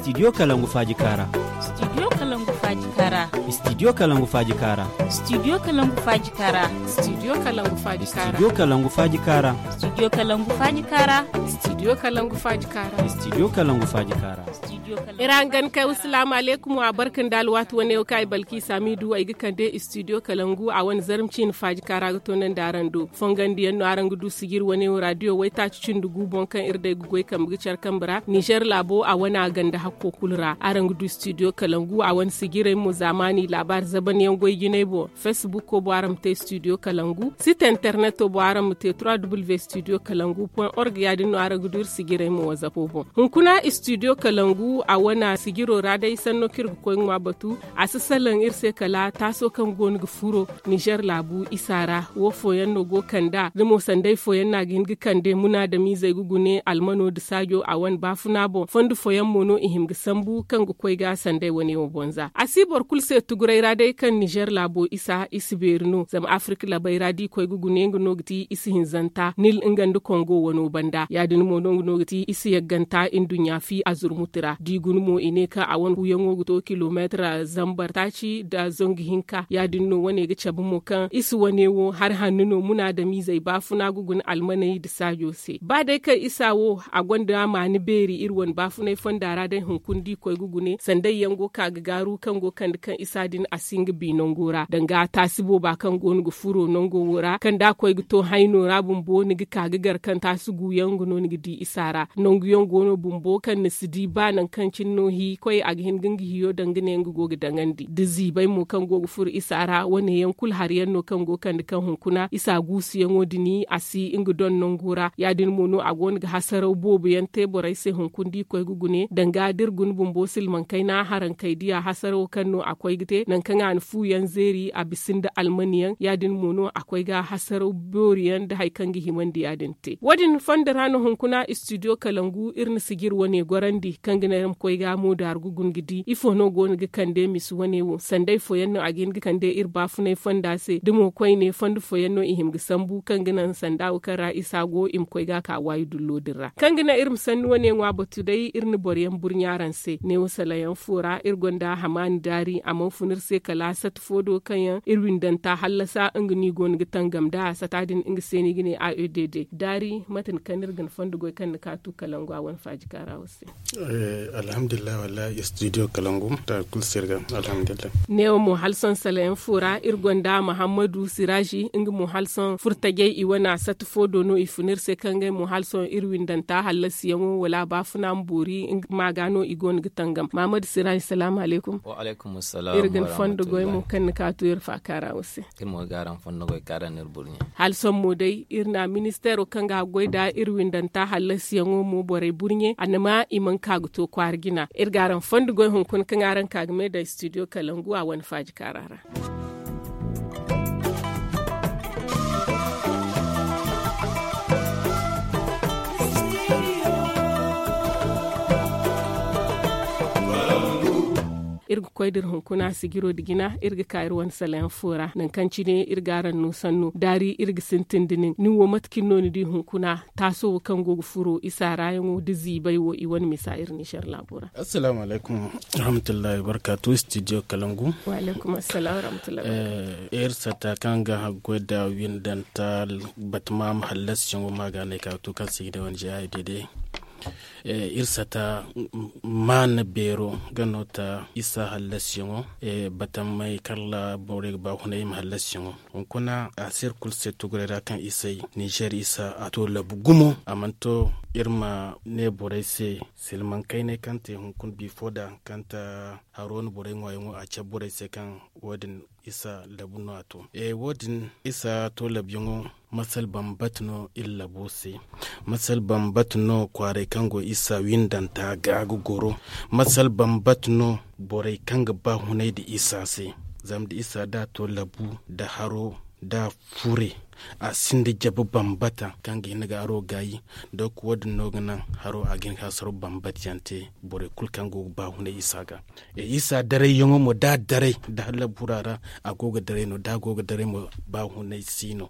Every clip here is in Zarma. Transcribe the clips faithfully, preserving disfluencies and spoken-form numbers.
Studio kalangu faaji kaara. Studio kalangu faaji kaara. Studio kalangu faaji kaara. Studio kalangu faaji kaara. Studio kalangu faaji kaara. Studio kalangu faaji kaara. Studio kalangu faaji kaara. Studio kalangu faaji kaara. Studio kalangu faaji kaara. Ira hangan kay wa salaamu aleykum wa barka nda alwaati wane wo kaŋ ay balki saamidu ay ga kande studio kalangu a wane zarma ciine faaji kaara ga toonandi araŋ do. Fongandiyaŋ no araŋ ga du sijir wane wo raadiyo waytaaci cindi gu boŋ kaŋ iri day ga goy kambe ga care kambe ra nizer laabo a wane a ganda hakko kulu ra araŋ ga du studio kalangu a wane sijirey mo zaamaani laabaari zabanyaŋ goy jinay boŋ. Fesbuko boŋ araŋ ma te studio kalangu site interneto boŋ araŋ ma te trois w studio kalangu point org ya- din no araŋ ga du iri sijirey mo wazapo boŋ. Hunkuna studio kalangu a wane sijiro ra day sanno kaŋ iri ga koy ga ŋwa batu a si salaŋ iri se kala taaso kaŋ go no ga furo nizer laabu isa ra wo fooyaŋ no go kand'a da mo sanday fooyaŋ no a ga hin ga kande munaadamiizey ga gune almano nda saajo a wane baafuna boŋ fondo fooyaŋ mo no i hima ga sambu kaŋ ga koy ga sanday wane wo boŋ za a si boro kulu se tuguray ra day kaŋ nizer laabo isa i si beeri no zama afirka labey ra da i koy ga gune nga no ga ti i si hinzanta nil nga nda kongo wano banda ya- din mo no nga no ga ti i si yagganta nduɲɲa fi a zurmuti ra da i guna mo i ne kaŋ a wane kuuyaŋo ga to kilomeetir zambar taaci nda zangu hinka ya- din no wane ga cabe mo kaŋ i si wane wo hari hanno no munaadamiizey baafuna ga guna almaney nda saajo se ba day kaŋ isa wo a gonda maani beeri iri wane baafunay fonda ra day hunkuna da i koy ga gune sanday yaŋ go ka ga gaaru kaŋ go kande kaŋ isa din a si nga bi nango ra danga taasi booba kaŋ go no ga furo nango wo ra kaŋ da a koy ga to hayno ra bumbo ni ga ka ga gar kaŋ taasi guuyaŋ nga no ni ga di isa ra nangu yaŋ go no bumbo kaŋ ni si di ba nangu kaŋ cine no hi koy a ga hin ga nga hiyo daŋ ga ne nga go ga daŋandi da ziibay mo kaŋ go ga furo isa ra wane yaŋ kulu hari yaŋ no kaŋ go kande kaŋ hunkuna isa guusuyaŋo din a si nga doŋ nango ra ya- din mo no a go no ga hasaraw boobo yaŋ te borey se hunkuna da i koy ga gune danga da iri guna bumbo silmaŋ kayna haraŋ kay diya hasarawo kaŋ no a koy ga te nangu kaŋ a na fu yaŋ zeeri a bisa nda almani yaŋ ya- din mo no a koy ga hasaraw boori yaŋ nda hari kaŋ ga himandi ya- din te wo- din fondo ra no hunkuna studio kalangu iri na sijir wane gorandi kaŋ ga naŋ iri ma koy ga mo daaru ga guna ga di ifo no go no ga kande misa wane wo sanday fooyaŋ no a ga hin ga kande iri baafunay fonda se da mo koyne fondo fooyaŋ no i hima ga sambu kaŋ ga naŋ sanda wo kaŋ ra isa go i ma koy ga ka waayi dullo din ra kaŋ ga naŋ iri ma sanni wane ŋwa batu day iri na boro yaŋ burɲa araŋ se neewo salayaŋ fo ra iri gonda hamaani daari a mana fun iri se kala sata fo do kaŋ yaŋ iri windanta hallasa nga no i go no ga tangam nd'a sata din nga se no i ga ne a e d d daari mate ni kaŋ no iri ga ni fondo goy kaŋ ni kaatu kalangu a wane faaji kaara wo se. Alhamdulillahi wallahi studio kalangu ta kulu se iri ga alhamdulillahi. Neewo mo hala sohõ salayaŋ fo ra iri gonda mahammadu siraazi nga mo hala sohõ furtajey i wane a sata fo do no i fun iri se kaŋ ngey mo hala sohõ iri windanta hallasiyaŋo wala baafuna ma boori nga ma ga no i go no ga tangam mahammadu siraazi salaamu alaykum. Iri ga ni fondo goy mo kaŋ ni kaatu iri faakaara wo se. Hala sohõ mo day iri na ministeero kaŋ ga a goy nda iri windanta hallasiyaŋo mo borey burɲe a na ma i mana ka ga to kwaara jina iri ga araŋ fondo goy hunkuna kaŋ araŋ ka ga me daŋ studio kalangu a wane faaji kaara ra. Iri ga koy da iri hunkuna sijiro nda jina iri ga ka iri wane salayaŋ fo ra nangu kaŋ cine iri ga araŋ no sanno daari iri ga sintin da nin nin wo mate kaŋ ni no ni di hunkuna taaso wo kaŋ go ga furo isa raayaŋo nda ziibay wo i wane misa iri nizer laabo ra. Assalaamu alaykum warahmatullahi wabarkaatu studio kalangu. Iri sata kaŋ ga haggoy nda windanta batama ma hallasiyaŋo ma ga no ay ka ga to kaŋ se i ga ne wane jeya i day day. Iri sata maana beero ga no ta isa hallasiyaŋo batamey kala borey ga ba hunay i ma hallasiyaŋo hunkuna a si iri kulu se tuguray ra kaŋ isay nizer isa a to labu gumo a mana to iri ma ne borey se silmaŋ kaynay kaŋ te hunkuna bifo da kaŋ ta haro no borey ŋwaayaŋo a cabe borey se kaŋ wo- din isa labu no a to. Wo- din isa to labuyaŋo masal bambata no iri labo se. Masal bambata no kwaaray kaŋ go isa windanta ga ga goro. Masal bambata no borey kaŋ ga ba hunay nda isa se. Zama da isa da a to labu nda haro nda fure A sinda jabu bambata kaŋ ga hin ga haro gaayi. Donc wo- din no ga naŋ haro a ga hin ga hasaro bambata yaŋ te borey kulu kaŋ go ga ba hunay isa ga. Isa daray yaŋo mo da a daray da hallabura ra, a go ga daray no da a go ga daray mo. Ba hunay si no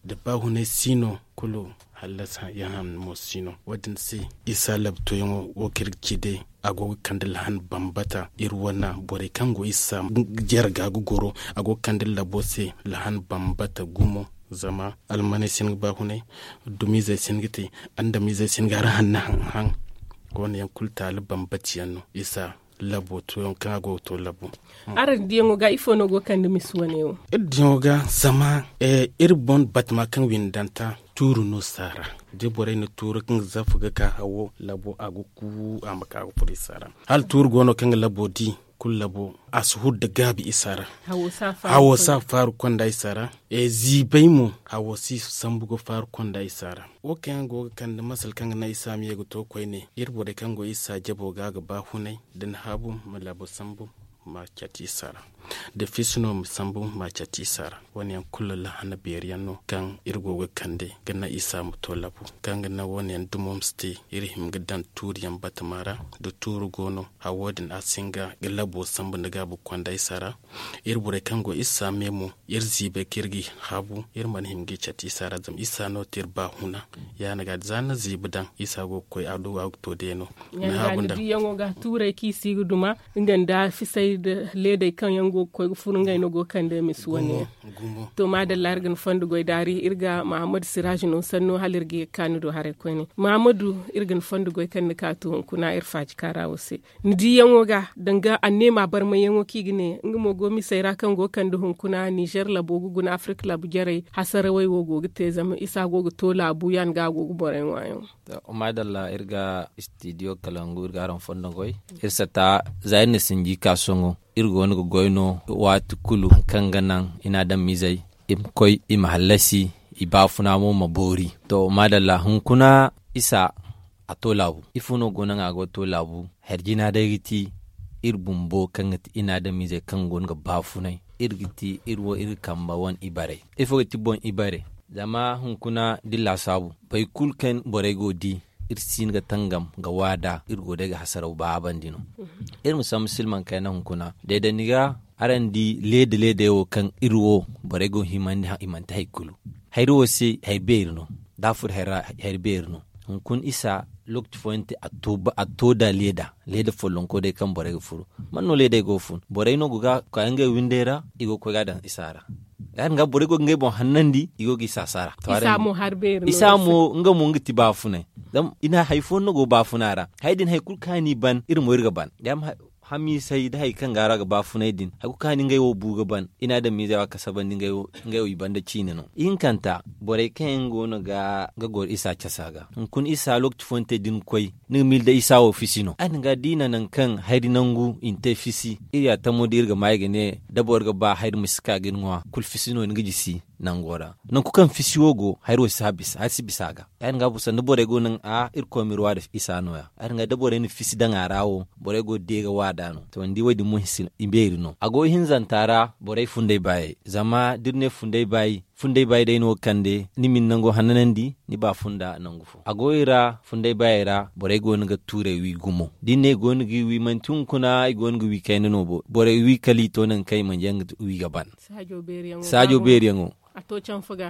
da ba hunay si no kulu hallasa yaŋ hanno mo si no. Wo- din se isa labto yaŋo wo kaŋ iri ga ci day a go ga kande lahan bambata iri wane borey kaŋ go isa jarga ga goro. A go ga kande labo se lahan bambata gumo. Zama almaney si hin ga ba hunay dumizey si hin ga te andamizey si hin ga har hanna haŋ haŋ. Wo- ne yaŋ kulu taali bambata yaŋ no isa labo to yaŋ kaŋ a go ga to labo. Araŋ diyaŋo ga ifo no go ga kande misi wane wo? Iri diyaŋo ga zama iri boŋ batama kaŋ windanta tuuru no saara da borey na tuuru kaŋ ga zafa ga ka hawo labo a ga ku a ma ka ga furo isa ra. Hala tuuru go no kaŋ ga labo di kulu labo a si huru da gaabi isa ra. Hawo si a faaru konda isa ra. Ziibay mo hawo si sambu ga faaru konda isa ra. Wo kaŋ yaŋ go ga kande masal kaŋ ga naŋ isa ma ye ga to koyne iri borey kaŋ go isa jabo ga ga ba hunay da ni haabu ma labo sambu ma cati isa ra. Da fiisi no ma sambu ma cati isa ra. Wo- ne yaŋ kulu lahana beeri yaŋ no kaŋ iri go ga kande ga naŋ isa ma to labu kaŋ ga naŋ wo- ne yaŋ dumo ma si te iri hima ga daŋ tuuri yaŋ batama ra. Da tuuru go no hawo din a si hin ga ga labo sambu nda gaabu konda isa ra. Iri borey kaŋ go isa me mo iri ziibay kaŋ iri ga i haabu iri mana hima ga i cati isa ra zama isa no te iri ba huna. Ya- din ga za ni na ziibi daŋ isa go ga koy a do a ga to day no. Ni haabu nda diyaŋo ga tuurey kaŋ i si ga duma nga nda fisay nda leedey kaŋ yaŋ go ga koy ga furo ngey no go ga kande misi wane yaŋ. To maadalla iri ga ni fondo goy daari iri ga mahamadu siraaji no sanno hala iri ga ye ga ka ni do haray koyne mahamadu. Iri ga ni fondo goy kaŋ ni ka to hunkuna iri faaji kaara wo se ni diyaŋo ga danga anneema barmayyaŋo kaŋ i ga ne nga mo go misey ra kaŋ go ga kande hunkuna nizer labo ga guna afirka labo jarey hasarawey wo go ga te zama isa go ga to laabu ya- din ga a go ga borey ŋwa yaŋo. Maadalla iri ga istidiyo kalangu iri ga araŋ fondo goy. Iri sata za iri na sinji ka sohõ iri go no ga goy no waati kulu hari kaŋ ga naŋ i na adamizey i ma koy i ma hallasi i baafuna mo ma boori. To maadalla hunkuna isa a to laabu ifo no go no nga a go ga to laabu. Hari jina day ga ti iri bumbo kaŋ ga ti i na adamizey kaŋ go no ga baafunay iri ga ti iri wo iri ga kamba wane ibarey. Ifo ga ti boŋ ibarey zama hunkuna da iri laasaabu boro kulu kaŋ borey go ga di iri si hin ga tangam ga waada iri go day ga hasaraw baabandi no. Iri ma samba silmaŋ kayna hunkuna deedandi ga araŋ di leeda leedey wo kaŋ iri wo borey go ga himandi i manti hari kulu. Hari wo se hari beeri no da a furo hari ra hari beeri no. Hunkuna isa lokaci fooyaŋ te a to nda leeda leeda follonko day kaŋ borey ga furo. Man no leedey go ga fun borey no go ga ka ngey windey ra i go ga koy ga a daŋ isa ra. Ya- din ga borey go ga ngey boŋ hannandi i go ga isa saara. Isa mo nga mo nga ti baafunay. Zama i na hari fooyaŋ no go baafuna ra hari din hari kulu kaŋ a n'i ban iri mo iri ga ban. Hamiisay nda hari kaŋ ga ra ga baafunay din hari kulu kaŋ a ni ngey wo bu ga ban i na adamizey wo a kasabandi ngey wo i banda ciine no. Ihinkanta borey kaŋ yaŋ go no ga goro isa casa ga hunkuna isa lokaci fooyaŋ te da ni koy ni ga miila day isa wo fisi no a din ga da i na nangu kaŋ hari nangu i na te fisi iri ya tamo da iri ga ma i ga ne da boro ga ba hari ma si ka ga ni ŋwa kulu fisi no ni ga jisi. Nango ra nangu kaŋ fisi wo go hari wo si bisa a ga. Ya- din ga bu sanda borey go naŋ a irkoy ma iri wa da isa no- ya ya- din ga da borey na fisi daŋ a ra wo borey go ga de ga wa da no to ni di wo- din mo hinsi ibeeri no a go ihinzanta ra borey funday baayey zama da iri ne funday baayi funday baayi day no ga kande ni ma ni nango hannanandi ni ba funda nangu fo a go i ra funday baayey ra borey go no ga tuurey wi gumo da i ne i go no ga i wi manti hunkuna i go no ga wi kayna no bo borey wi kala i to nangu kaŋ i mana yaŋ ga wi ga ban. Saajo beeriyaŋo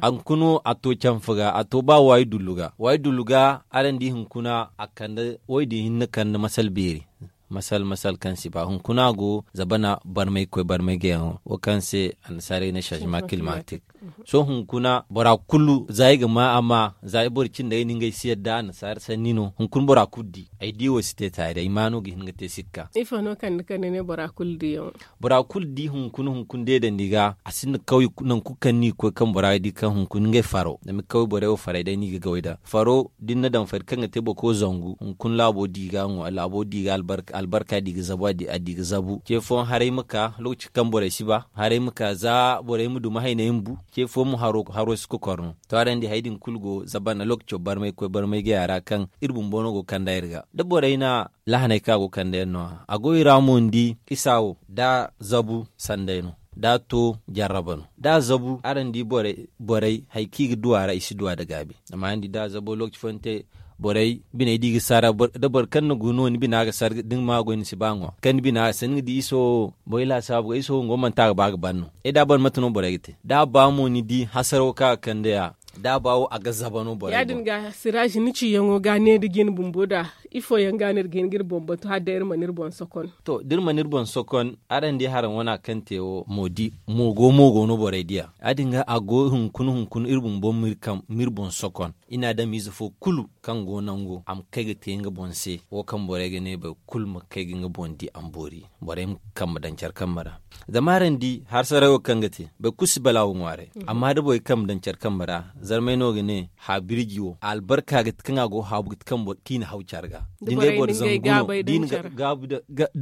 a hunkuna a to canfa ga a to ba waayi dullu ga waayi dullu ga araŋ di hunkuna a kande waydi hinne kande masal beeri. Masal masal kaŋ si ba hunkuna go zabana barmay koy barmay ga yaŋo wo kaŋ se annasaarey ne changement climatique. Sohõ hunkuna bora kulu za i ga ma a ma za i boro cindey no ngey si yadda annasaara sanni no hunkuna bora kulu di ay di wo si te taari ay ma no ga hin ga te sikka. Ifo no kande kaŋ ni ne bora kulu di yaŋo? Bora kulu di hunkuna hunkuna deedandi ga a sinda kawye nangu kulu kaŋ ni ga koy kaŋ bora ga di kaŋ hunkuna ngey faro zama kawye borey wo farey day no i ga gaway nd'a faro da ni na daŋ fari kaŋ ga te boro kaŋ zangu hunkuna laabo di ga ŋwa laabo di ga albarka di ga zabu a di ga zabu ce fooyaŋ haray ma ka lokaci kaŋ borey si ba haray ma ka za borey ma duma hayney ma bu ce fooyaŋ mo haro si kokor no. To araŋ di hari din kulu go zabana lokaco barmay koy barmay gaya ra kaŋ iri bumbo no go ga kand'a iri ga da borey na lahaney kaŋ a go ga kande yaŋ no- ya a go i ra mo ni di isa wo da zabu sanday no. Da a to jarraba no da a zabu araŋ di borey hari kaŋ i ga du a ra i si du a nda gaabi. Zama araŋ di da a zabo lookaci fooyaŋ te borey biney da i ga saara da boro kaŋ na gu no ni bina ga sar da ni ma goy ni si ba ŋwa kaŋ ni bina ga sar ni ga di iso wo boro laasaabu ga iso wo nga wo manti a ga ba ga ban no. Ay da a ban mate no borey ga te da a ba mo ni di hasaraw kaŋ a ga kande ya da a ba wo a ga zaba no borey ya- din ga siraazi ni ciyaŋo ga ne da jin bumbo da ifo yaŋ ga no iri ga hin ga iri boŋ batu hala day iri mana iri boŋ sokon. To da iri mana iri boŋ sokon araŋ di haraŋ wana kaŋ te wo moogo moogo no borey diya ya- din ga a go hunkuna hunkuna iri bumbo ma iri boŋ sokon. I na adamize fo kulu kaŋ go nango a ma kay ga te nga boŋ se wo kaŋ borey ga ne boro kulu ma kay ga nga boŋ di a ma boori. Borey ma kambe daŋ care kambe ra zama araŋ di harsarayo kaŋ ga te boro kulu si balaawo ŋwaaray. Amma da borey kambe daŋ care kambe ra zarmey no ga ne haabirji wo albarka ga ti kaŋ a go haabu ga ti kaŋ boro kaŋ i na haw care ga. Da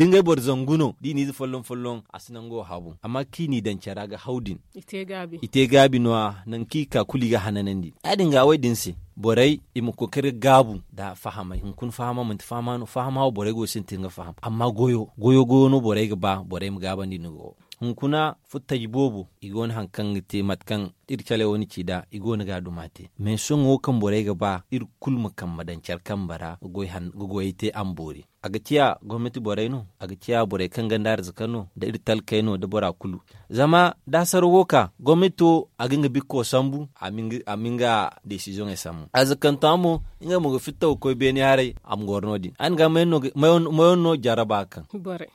ngey boro zangu no da i na ize folloŋ folloŋ a si nango haabu amma kaŋ i n'i daŋ care ra ga haw din i te gaabi no- ya nangu kaŋ i ga ka kulu i ga hananandi ya- din ga wo- din se borey i ma kookari ga gaabu nda fahamay hunkuna fahama manti fahama no fahama wo borey go ga sintin ga faham amma goyo goyo goyo no borey ga ba borey ma gaabandi nda goyo. Hunkuna futtaji boobo i go no hari kaŋ ga te mate kaŋ iri caley wo na ci nd'a i go no ga a duma te. Mais sohõ wo kaŋ borey ga ba iri kulu ma kambe daŋ care kambe ra ga goyey te a ma boori. A ga ciya gomnati borey no a ga ciya borey kaŋ ganda arzaka no nda iri talkey no nda bora kulu. Zama da hasaraw go ka gomnati wo a ga nga bikko sambu a ma nga desizoŋey sambu arzakanta mo ngey mo ga fitta ga koy beene haray a ma goro no- din a na ga mayaŋ no jarraba ga kaŋ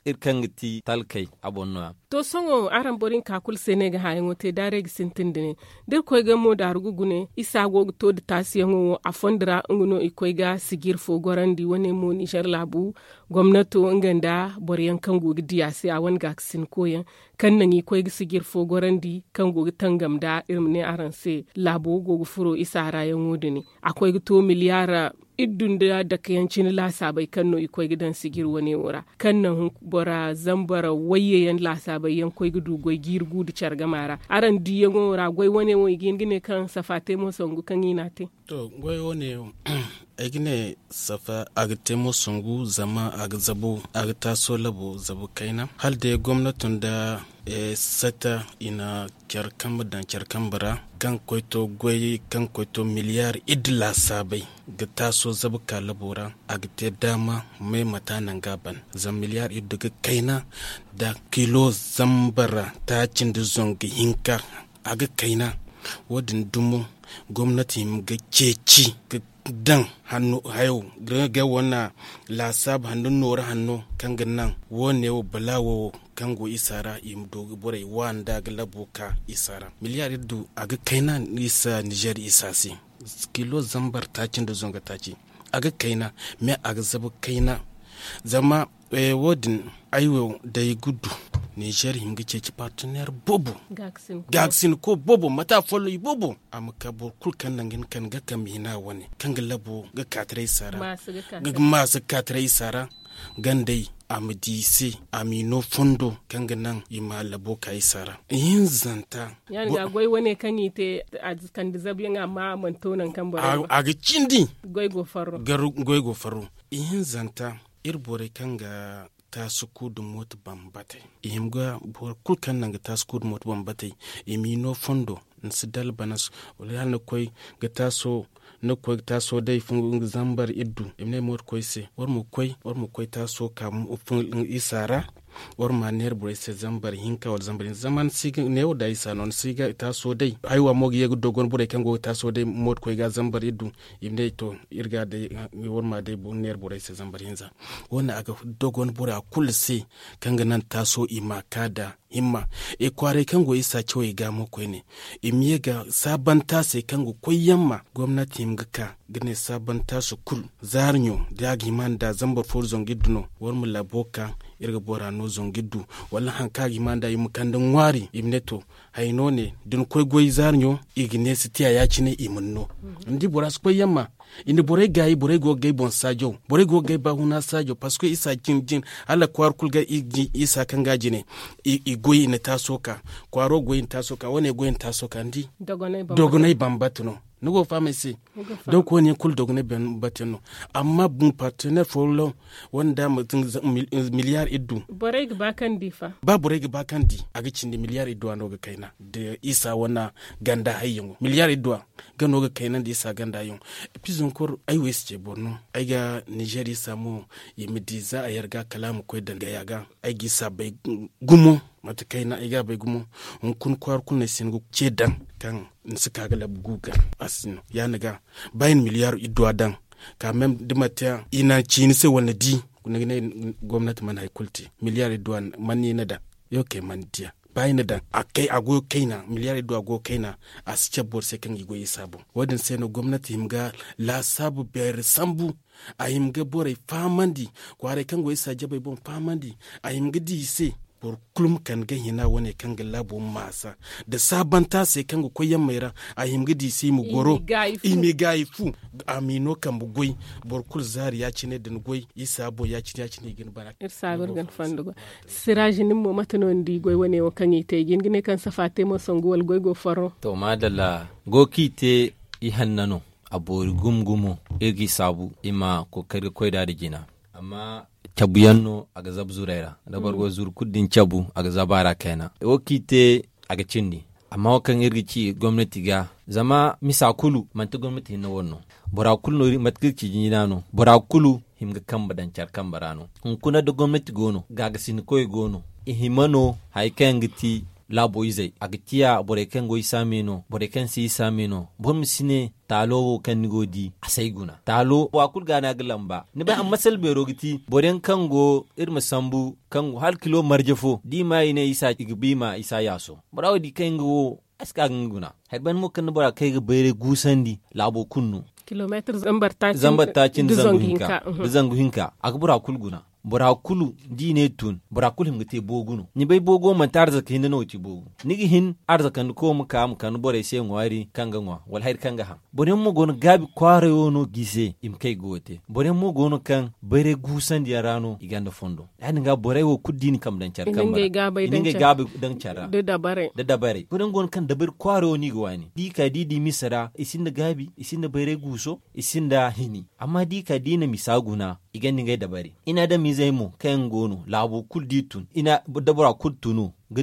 iri kaŋ ga ti talkey a boŋ no- ya. To sohõ araŋ boro hinka kulu se no ay ga hãayaŋo te daarey ga sintin nda ne da iri koy ga mo daaru ga gune isa go ga to nda taasiyaŋo wo a fondo ra nga no i koy ga sijir fo gorandi wane mo nizer laabu gomnato nga nda boro yaŋ kaŋ go ga di a se a wane gaakasinko yaŋ kaŋ naŋ i koy ga sijir fo gorandi kaŋ go ga tangam nda iri ma ne araŋ se laabo go ga furo isa ra yaŋo nda ne a koy ga to miliyaar iddu nda dake yaŋ cine laasaabey kaŋ no i koy ga daŋ sijir wane wo ra kaŋ naŋ bora zambar wayye yaŋ laasaabey yaŋ koy ga du goy jiiri gu nda care gama ra. Araŋ diiyaŋo ra goy wane wo i ga hin ga ne kaŋ safa te mo sangu kaŋ i n'a te. To goy wane wo ay ga ne safa a ga te mo sangu zama a ga zabu a ga taaso labo zabu kayna hala day gomnato nda sata i na care kambe daŋ care kambe ra kaŋ ga koy to goy kaŋ ga koy to miliyaar iddu laasaabey ga taaso zabu ka labo ra a ga te daama may mate a naŋ ga a ban zama miliyaar iddu ga kayna nda kilo zambar taaci nda zangu hinka a ga kayna. Wo- din dumo gomnati hima ga ceeci ga daŋ hayo ga wane laasaabu hanno nooru hanno kaŋ ga naŋ wo- ne wo balaawo wo kaŋ go isa ra i ma du ga borey waani nda ga labo ka isa ra miliyaar iddu a ga kayna isa nizer isa se kilo zambar taaci nda zangu taaci a ga kayna mais a ga zabu kayna. Zama wo- din ay wo day ga du nizer hima ga ceeci parteneer boobo gaakasinko boobo mate a folloŋ i boobo a ma ka boro kulu kaŋ naŋ ga hin ga kambe hina wane kaŋ ga labo ga kaataray isa ra ga maasa ga kaataray isa ra gandey a ma di i se a m'i no fondo kaŋ ga naŋ i ma labo ka isa ra. Ihinzanta ya- din ga goy wane kaŋ i te a kande zabuyaŋ amma a mana to nangu kaŋ boro a ga cindi goy go farro ihinzanta iri borey kaŋ ga taasu ku nda mooto bambatey i hima ga boro kulu kaŋ naŋ ga taasu ku nda mooto bambatey i m'i no fondo ni si dalbanas wala hala ni ga koy ga taaso ni ga koy ga taaso day zambar iddu i ma ne mooto koy se war ma koy war ma koy taaso ka isa ra war ma neera borey se zambar hinka wala zambar hinza zama ni si ga neewo da isa no ni si ga taaso day haywa mo ga ye ga dogon borey kaŋ go ga taaso day mooto koy ga zambar iddu i ma ne to iri ga day war ma day neera borey se zambar hinza wo- ne a ga dogon bora kulu se kaŋ ga naŋ taaso i ma ka da himma i kwaaray kaŋ go isa cawey ga mo koyne i ma ye ga saabanta se kaŋ ga koy yaŋ ma gomnati hima ga ka ga ne saabanta se kulu zaari ɲo da a ga hima nda zambar fooru zangu iddu no war ma labo ka iri ga bora no zangu iddu wala hari kaŋ a ga hima nda i ma kande ŋwaari i ma ne to haya no ne da ni koy goy zaari ɲo i ga ne si tiya ya- cine i ma ni no ni di bora si koy yaŋ ma i na borey gaayi borey go ga gay boŋ saajo borey go ga gay baahuna saajo parceque isa jin jin hala kwaara kulu ga isa kaŋ ga a jine i goy i na taaso ka kwaaro goy i na taaso ka wane goy i na taaso ka ni di dogonay bambata no Ni go ga faham ay se? Donk wo- ne yaŋ kulu dogonay bate yaŋ no. Amma bun partener folloŋ wanda ma miliyar iddu. Borey ga ba kaŋ di fa. Ba borey ga ba kaŋ di a ga cindi miliyar iddu a no ga kayna da isa wane ganda hayyaŋo miliyar iddu a ga no ga kayna da isa ganda hayyaŋo. Pizonkor ay wo ay si ce boro no. Ay ga nizer isa mo i ma di za a yar ga kala a ma koy daŋ gaya ga. Ay ga isa bay gumo mate kayna ay ga a bay gumo. Hunkuna kwaara kulu no ay si hin ga ce daŋ kaŋ ni si ka ga labu gu ga a si no ya- ni ga ba i na miliyar iddu a daŋ. Ka meme da manti yaŋ i na ciini se wala ni di ni ga ne gomnati mana hari kulu te miliyar iddu a mana i na daŋ. Yaŋ kay mana diya ba i na daŋ a kay a goyo kayna miliyar iddu a goyo kayna. A si cabe boro se kaŋ ga i goy isa boŋ wo- din se no gomnati hima ga laasaabu beeri sambu. A hima ga borey fahamandi kwaaray kaŋ go isa jabey boŋ fahamandi. A hima ga di i se boro kulu ma kande ga hina wane kaŋ ga laabo maasa da saabanta se kaŋ ga koy yammey ra. A hima ga di i se i ma goro i ma i gaayi fu. A ma i no kambe goy boro kulu zaari ya- cine da ni goy isa boŋ ya- cine ya- cine i ga ni bara. Iri saabu iri ga ni fondo goy. Siraaji nin mo mate no ni di goy wane wo kaŋ i te i ga hin ga ne kaŋ safa te mo sangu wala goy go farro. To maadalla go kaŋ i te i hanna no. A boori gumo gumo iri ga i saabu i ma kookari ga koy nd'a nda jina. Amma cabu yaŋ no a ga zabu zuray ra da boro go ga zuru kulu da ni cabu a ga zabu a ra kayna wo kaŋ i te. A ga cindi amma wo kaŋ iri ga ci gomnati ga zama misa kulu manti gomnati hinne wane no. Bora kulu no mate kaŋ iri ga ci jinjina no bora kulu hima ga kambe daŋ care kambe ra no. Hunkuna da gomnati go no gaagasinikoy go no i hima no hari kaŋ yaŋ ga ti laabo izey a ga ciya borey kaŋ go isa me no borey kaŋ si isa me no. Boro ma si ne taalo wo kaŋ ni go ga di a si ay guna taalo wa kulu ga no a ga lamba ni bay a masal beero ga ti boro yaŋ kaŋ go iri ma sambu kaŋ go hala kilo marje fo da i ma i ne isa i ga ba i ma isa yaaso. Bora wo di kaŋ nga wo a si ka ga nga guna. Hari banda mo kaŋ ni bora kay ga bayray guusandi laabo kulu no. Zambar taaci nda zangu hinka a ga bora kulu guna. Bora kulu da i ne tun bora kulu hima ga te boogu no ni bay boogu wo manti arzaka hinne no ga ci boogu. Ni ga hin arzakandi ko ma ka ma kande borey se ŋwaari kaŋ ga ŋwa wala hari kaŋ ga haŋ. Boro yaŋ mo go no gaabi kwaaray wo no ga i se i ma kay ga wo te boro yaŋ mo go no kaŋ bayray guusandi yaŋ ra no i gonda fondo. Ya- din ga borey wo kulu da i na kambe daŋ care kambe ra i na ngey gaabay daŋ care ra. Da dabarey boro yaŋ go no kaŋ dabari kwaaray wo no i ga waani da i ka da i di misa ra i sinda gaabi i sinda bayray guuso i sinda hini. Amma da i ka da i na misa guna i gonda ngey dabari i na adamizey mo kaŋ yaŋ go no laabo kulu da i tun da bora kulu tunu ga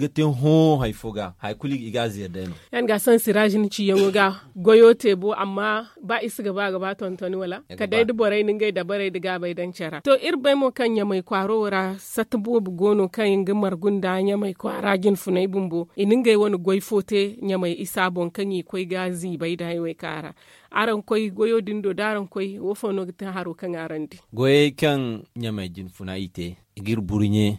te hõ hari fo ga hari kulu i ga a zeeri day no. Ya- din ga sohõ siraazi ni ciyaŋo ga goyo te bo amma ba i si ga ba ga ba tontoni wala kala day da borey na ngey dabarey nda gaabey daŋ care ra to iri bay mo kaŋ ɲamay kwaaro wo ra satta boobo go no kaŋ i ga margu nda ɲamay kwaara jinfunay bumbo i na ngey wane goy fo te ɲamay isa boŋ kaŋ i koy ga ziibay da haywey kaŋ a ra. Araŋ koy goyo din do da araŋ koy wo fo no ga te haro kaŋ araŋ di? Goyey kaŋ ɲamay jinfuna i te i ga iri burɲe.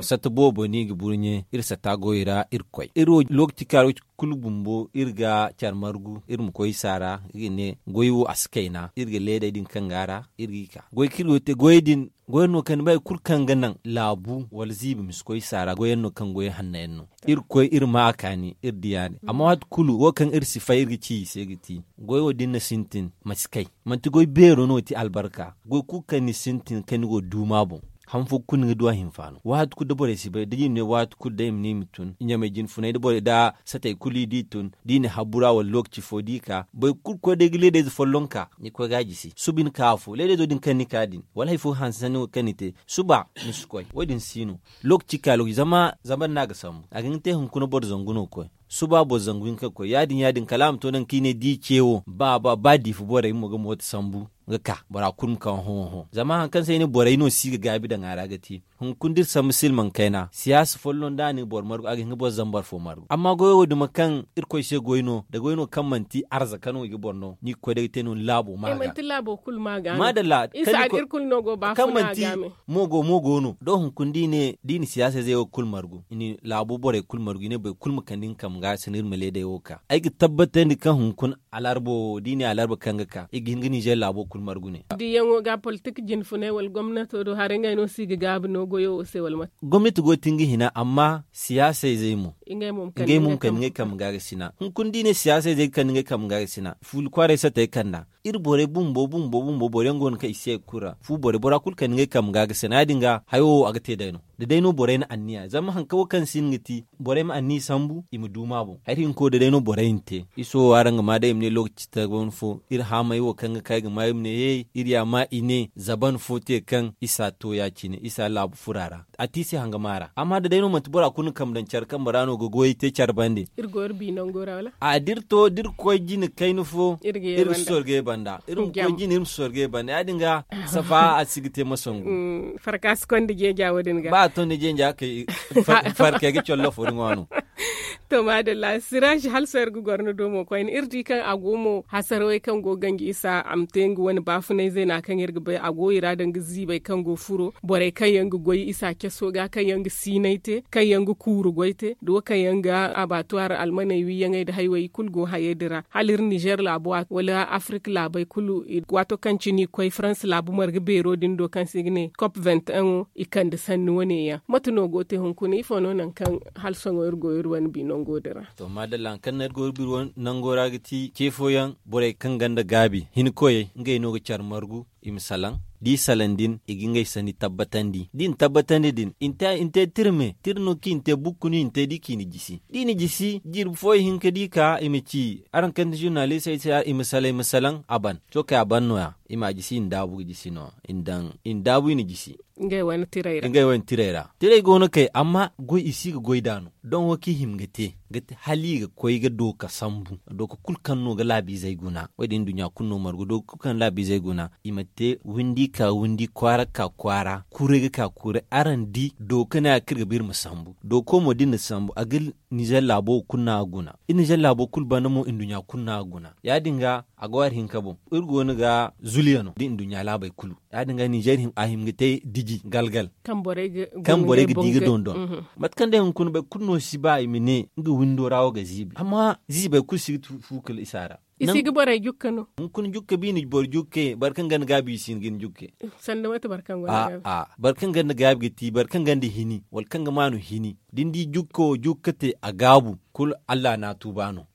Satta boobo no i ga burɲe iri satta goyey ra iri koy iri wo lookaci kaŋ a ra wo- kulu bumbo iri ga care margu iri ma koy saara iri ga ne goy wo a si kayna iri ga leedey din kaŋ go a ra iri g'i ka goy kaŋ iri go ga te goyey din goyey no kaŋ ni bay kulu kaŋ ga naŋ laabu wala ziibi ma si koy saara goyey no kaŋ goyey hanno yaŋ no. Iri koy iri ma a kaani iri di ya- din amma waati kulu wo kaŋ iri si fay iri ga ci i se ga ti goy wo da ni na sintin ma si kay. Manti goy beero no ti albarka goy kulu kaŋ ni sintin kaŋ ni go ga duuma boŋ. Han fo kulu ni ga du a hinfaano waati kulu da borey si bay da jine ne waati kulu day ma ne i ma tun ɲamay jinfunay da borey da satey kulu i di tun da i na habu ra wala lookaci fo da i ka boro kulu koy day ga leedayze folloŋ ka ni koy ga a jisi suba ni ka afo leedayzo din kaŋ ni ka din wala hari fo hanse sanni wo kaŋ ni te suba ni si koy wo- din si no. Lookaci ka lookaci zama zambar no a ga sambu a ga hin ga te hunkuna boro zangu no ga koy suba boro zangu hinka ga koy ya- din ya- din kala a ma to naŋ kaŋ i ne da i ce wo ba ba ba diifa borey mo ga mooto sambu ga ka bora kulu ma kaŋ hõ hõ zama hari kaŋ se ay ne borey no si ga gaabi daŋ a ra ga te. Hunkuna da iri sambu silmaŋ kayna siyaasa folloŋ da a na boro margu a ga hin ga boro zambar fo margu amma goyo wo duma kaŋ irkoy se goy no da goy no kaŋ manti arzaka no i ga boro no ni ga koy day ga te no ni laabo ma ga. Maadalla. Kaŋ manti mo go mo go no da i na siyaasa izey wo kulu margu i na laabo borey kulu margu i ne boro kulu ma kande nga kambe ga a se no iri ma leeday wo ga ka ay ga tabbatandi kaŋ hunkuna alarba wo da i ne alarba kaŋ ga ka i ga hin ga ninzeer laabo kulu margu ne. Diyaŋo ga politik jinfunay wala gomnato do haray ngey no se i ga gaabi no goyo wo se wala mate? Gomnati go ga te nga hina amma siyaasa izey mo ngey mo ma kande ngey kambe ga ga sina hunkuna da i ne siyaasa izey ga kande ngey kambe ga ga sina fuuli kwaaray satey kanda iri borey bumbo bumbo bumbo boro yaŋ go no kaŋ i si ye ga kulu ra fu borey bora kulu kande ngey kambe ga ga sina ya- din ga hayo wo a ga te day no. Da day no borey na anniya zama hari kaŋ wo kaŋ si hin ga ti borey ma anniya sambu i ma du ma boŋ hari hinka wo da day no borey na te. Iso wo araŋ ga ma day i ma ne lookaci taban fo iri haamay wo kaŋ ga ka i ga ma iri ma ne hey iri ya ma i ne zaban fo te kaŋ isa to ya- cine isa laabu fura ra. A te i se hangama ra amma da day no manti bora kulu na kambe daŋ care kambe ra no ga goyey te care bande. A da iri to da iri koy jine kayna fo iri ma sorgay banda iri ma koy jine iri ma sorgay banda ya- din ga safa a si ga te masangu. Farka si konda jeeja wo- din ga ba a to ni jeeja kay farkey ga collo fo din wa no. To maadalla siraaji hala sohõ iri ga goro ni do mo koyne iri di kaŋ a go mo hasarawey kaŋ go ga ganji isa a ma te nga wane baafunay zeena kaŋ iri ga bay a go i ra danga ziibay kaŋ go furo borey kaŋ yaŋ ga goy isa caso ga kaŋ yaŋ ga siinay te kaŋ yaŋ ga kuuru goy te da wo kaŋ yaŋ ga abaatuwaari almaney wiiyaŋey nda haywey i kulu go hayey din ra hala iri nizer laabo wala afirik laabey kulu waato kaŋ cine i koy faransa laabu marga beero din do kaŋ se i ga ne kop vingt un wo i kande sanni wane yaŋ mate no go te hunkuna ifo no nangu kaŋ hala sohõ iri go iri wane bi nango din ra. To maadalla hari kaŋ no iri go iri bi nango ra ga ti ce fooyaŋ borey kaŋ gonda gaabi hinkoyey ngey no ga care margu i ma salaŋ da i salaŋ din i ga ngey sanni tabbatandi da i na tabbatandi din i na te tira me tira no kaŋ i na te bukku no i na te da i ka i na jisi da i na jisi jirbi fo i hin ka di ka i ma ci araŋ kaŋ ti zurnalistey se i ma salaŋ a ban sohõ kay a ban no- ya i ma a jisi i na daabu ga jisi no i na daabu i na jisi ngey wane tirey ra tirey go no kay amma goy i si ga goy nd'a no doŋ wo kaŋ i hima ga te ga ti hala i ga koy ga dooka sambu dooka kulu kaŋ no ga laabiizey guna wo- din nduɲɲa kulu no margu dooka kulu kaŋ ga laabiizey guna i ma te windi ka windi kwaara ka kwaara kuuray ga ka kuuray araŋ di dooka ne a kaŋ iri ga ba iri ma sambu dooka wo mo da iri na sambu a ga nizer laabo wo kulu no a ga guna iri nizer laabo kulu banda mo nduɲɲa kulu no a ga guna ya- din ga a go hari hinka boŋ iri go no ga zuliyano da nduɲɲa laabey kulu ya- din ga nizer a hima ga te diji galgal kaŋ borey ga di ga dondon mate kaŋ day hunkuna boro kulu no si ba i ma ne nga windo ra wo ga ziibi amma ziibey kulu si ga fu kala isa ra i si ga borey jukka no hunkuna jukka ba i na boro jukke boro kaŋ gonda gaabi i si hin ga ni jukke sanda mate boro kaŋ gonda gaabi a boro kaŋ gonda gaabi ga ti boro kaŋ gonda hini wala kaŋ ga maanu hini da ni di jukka wo jukka te a gaabu kulu allah no a tuuba no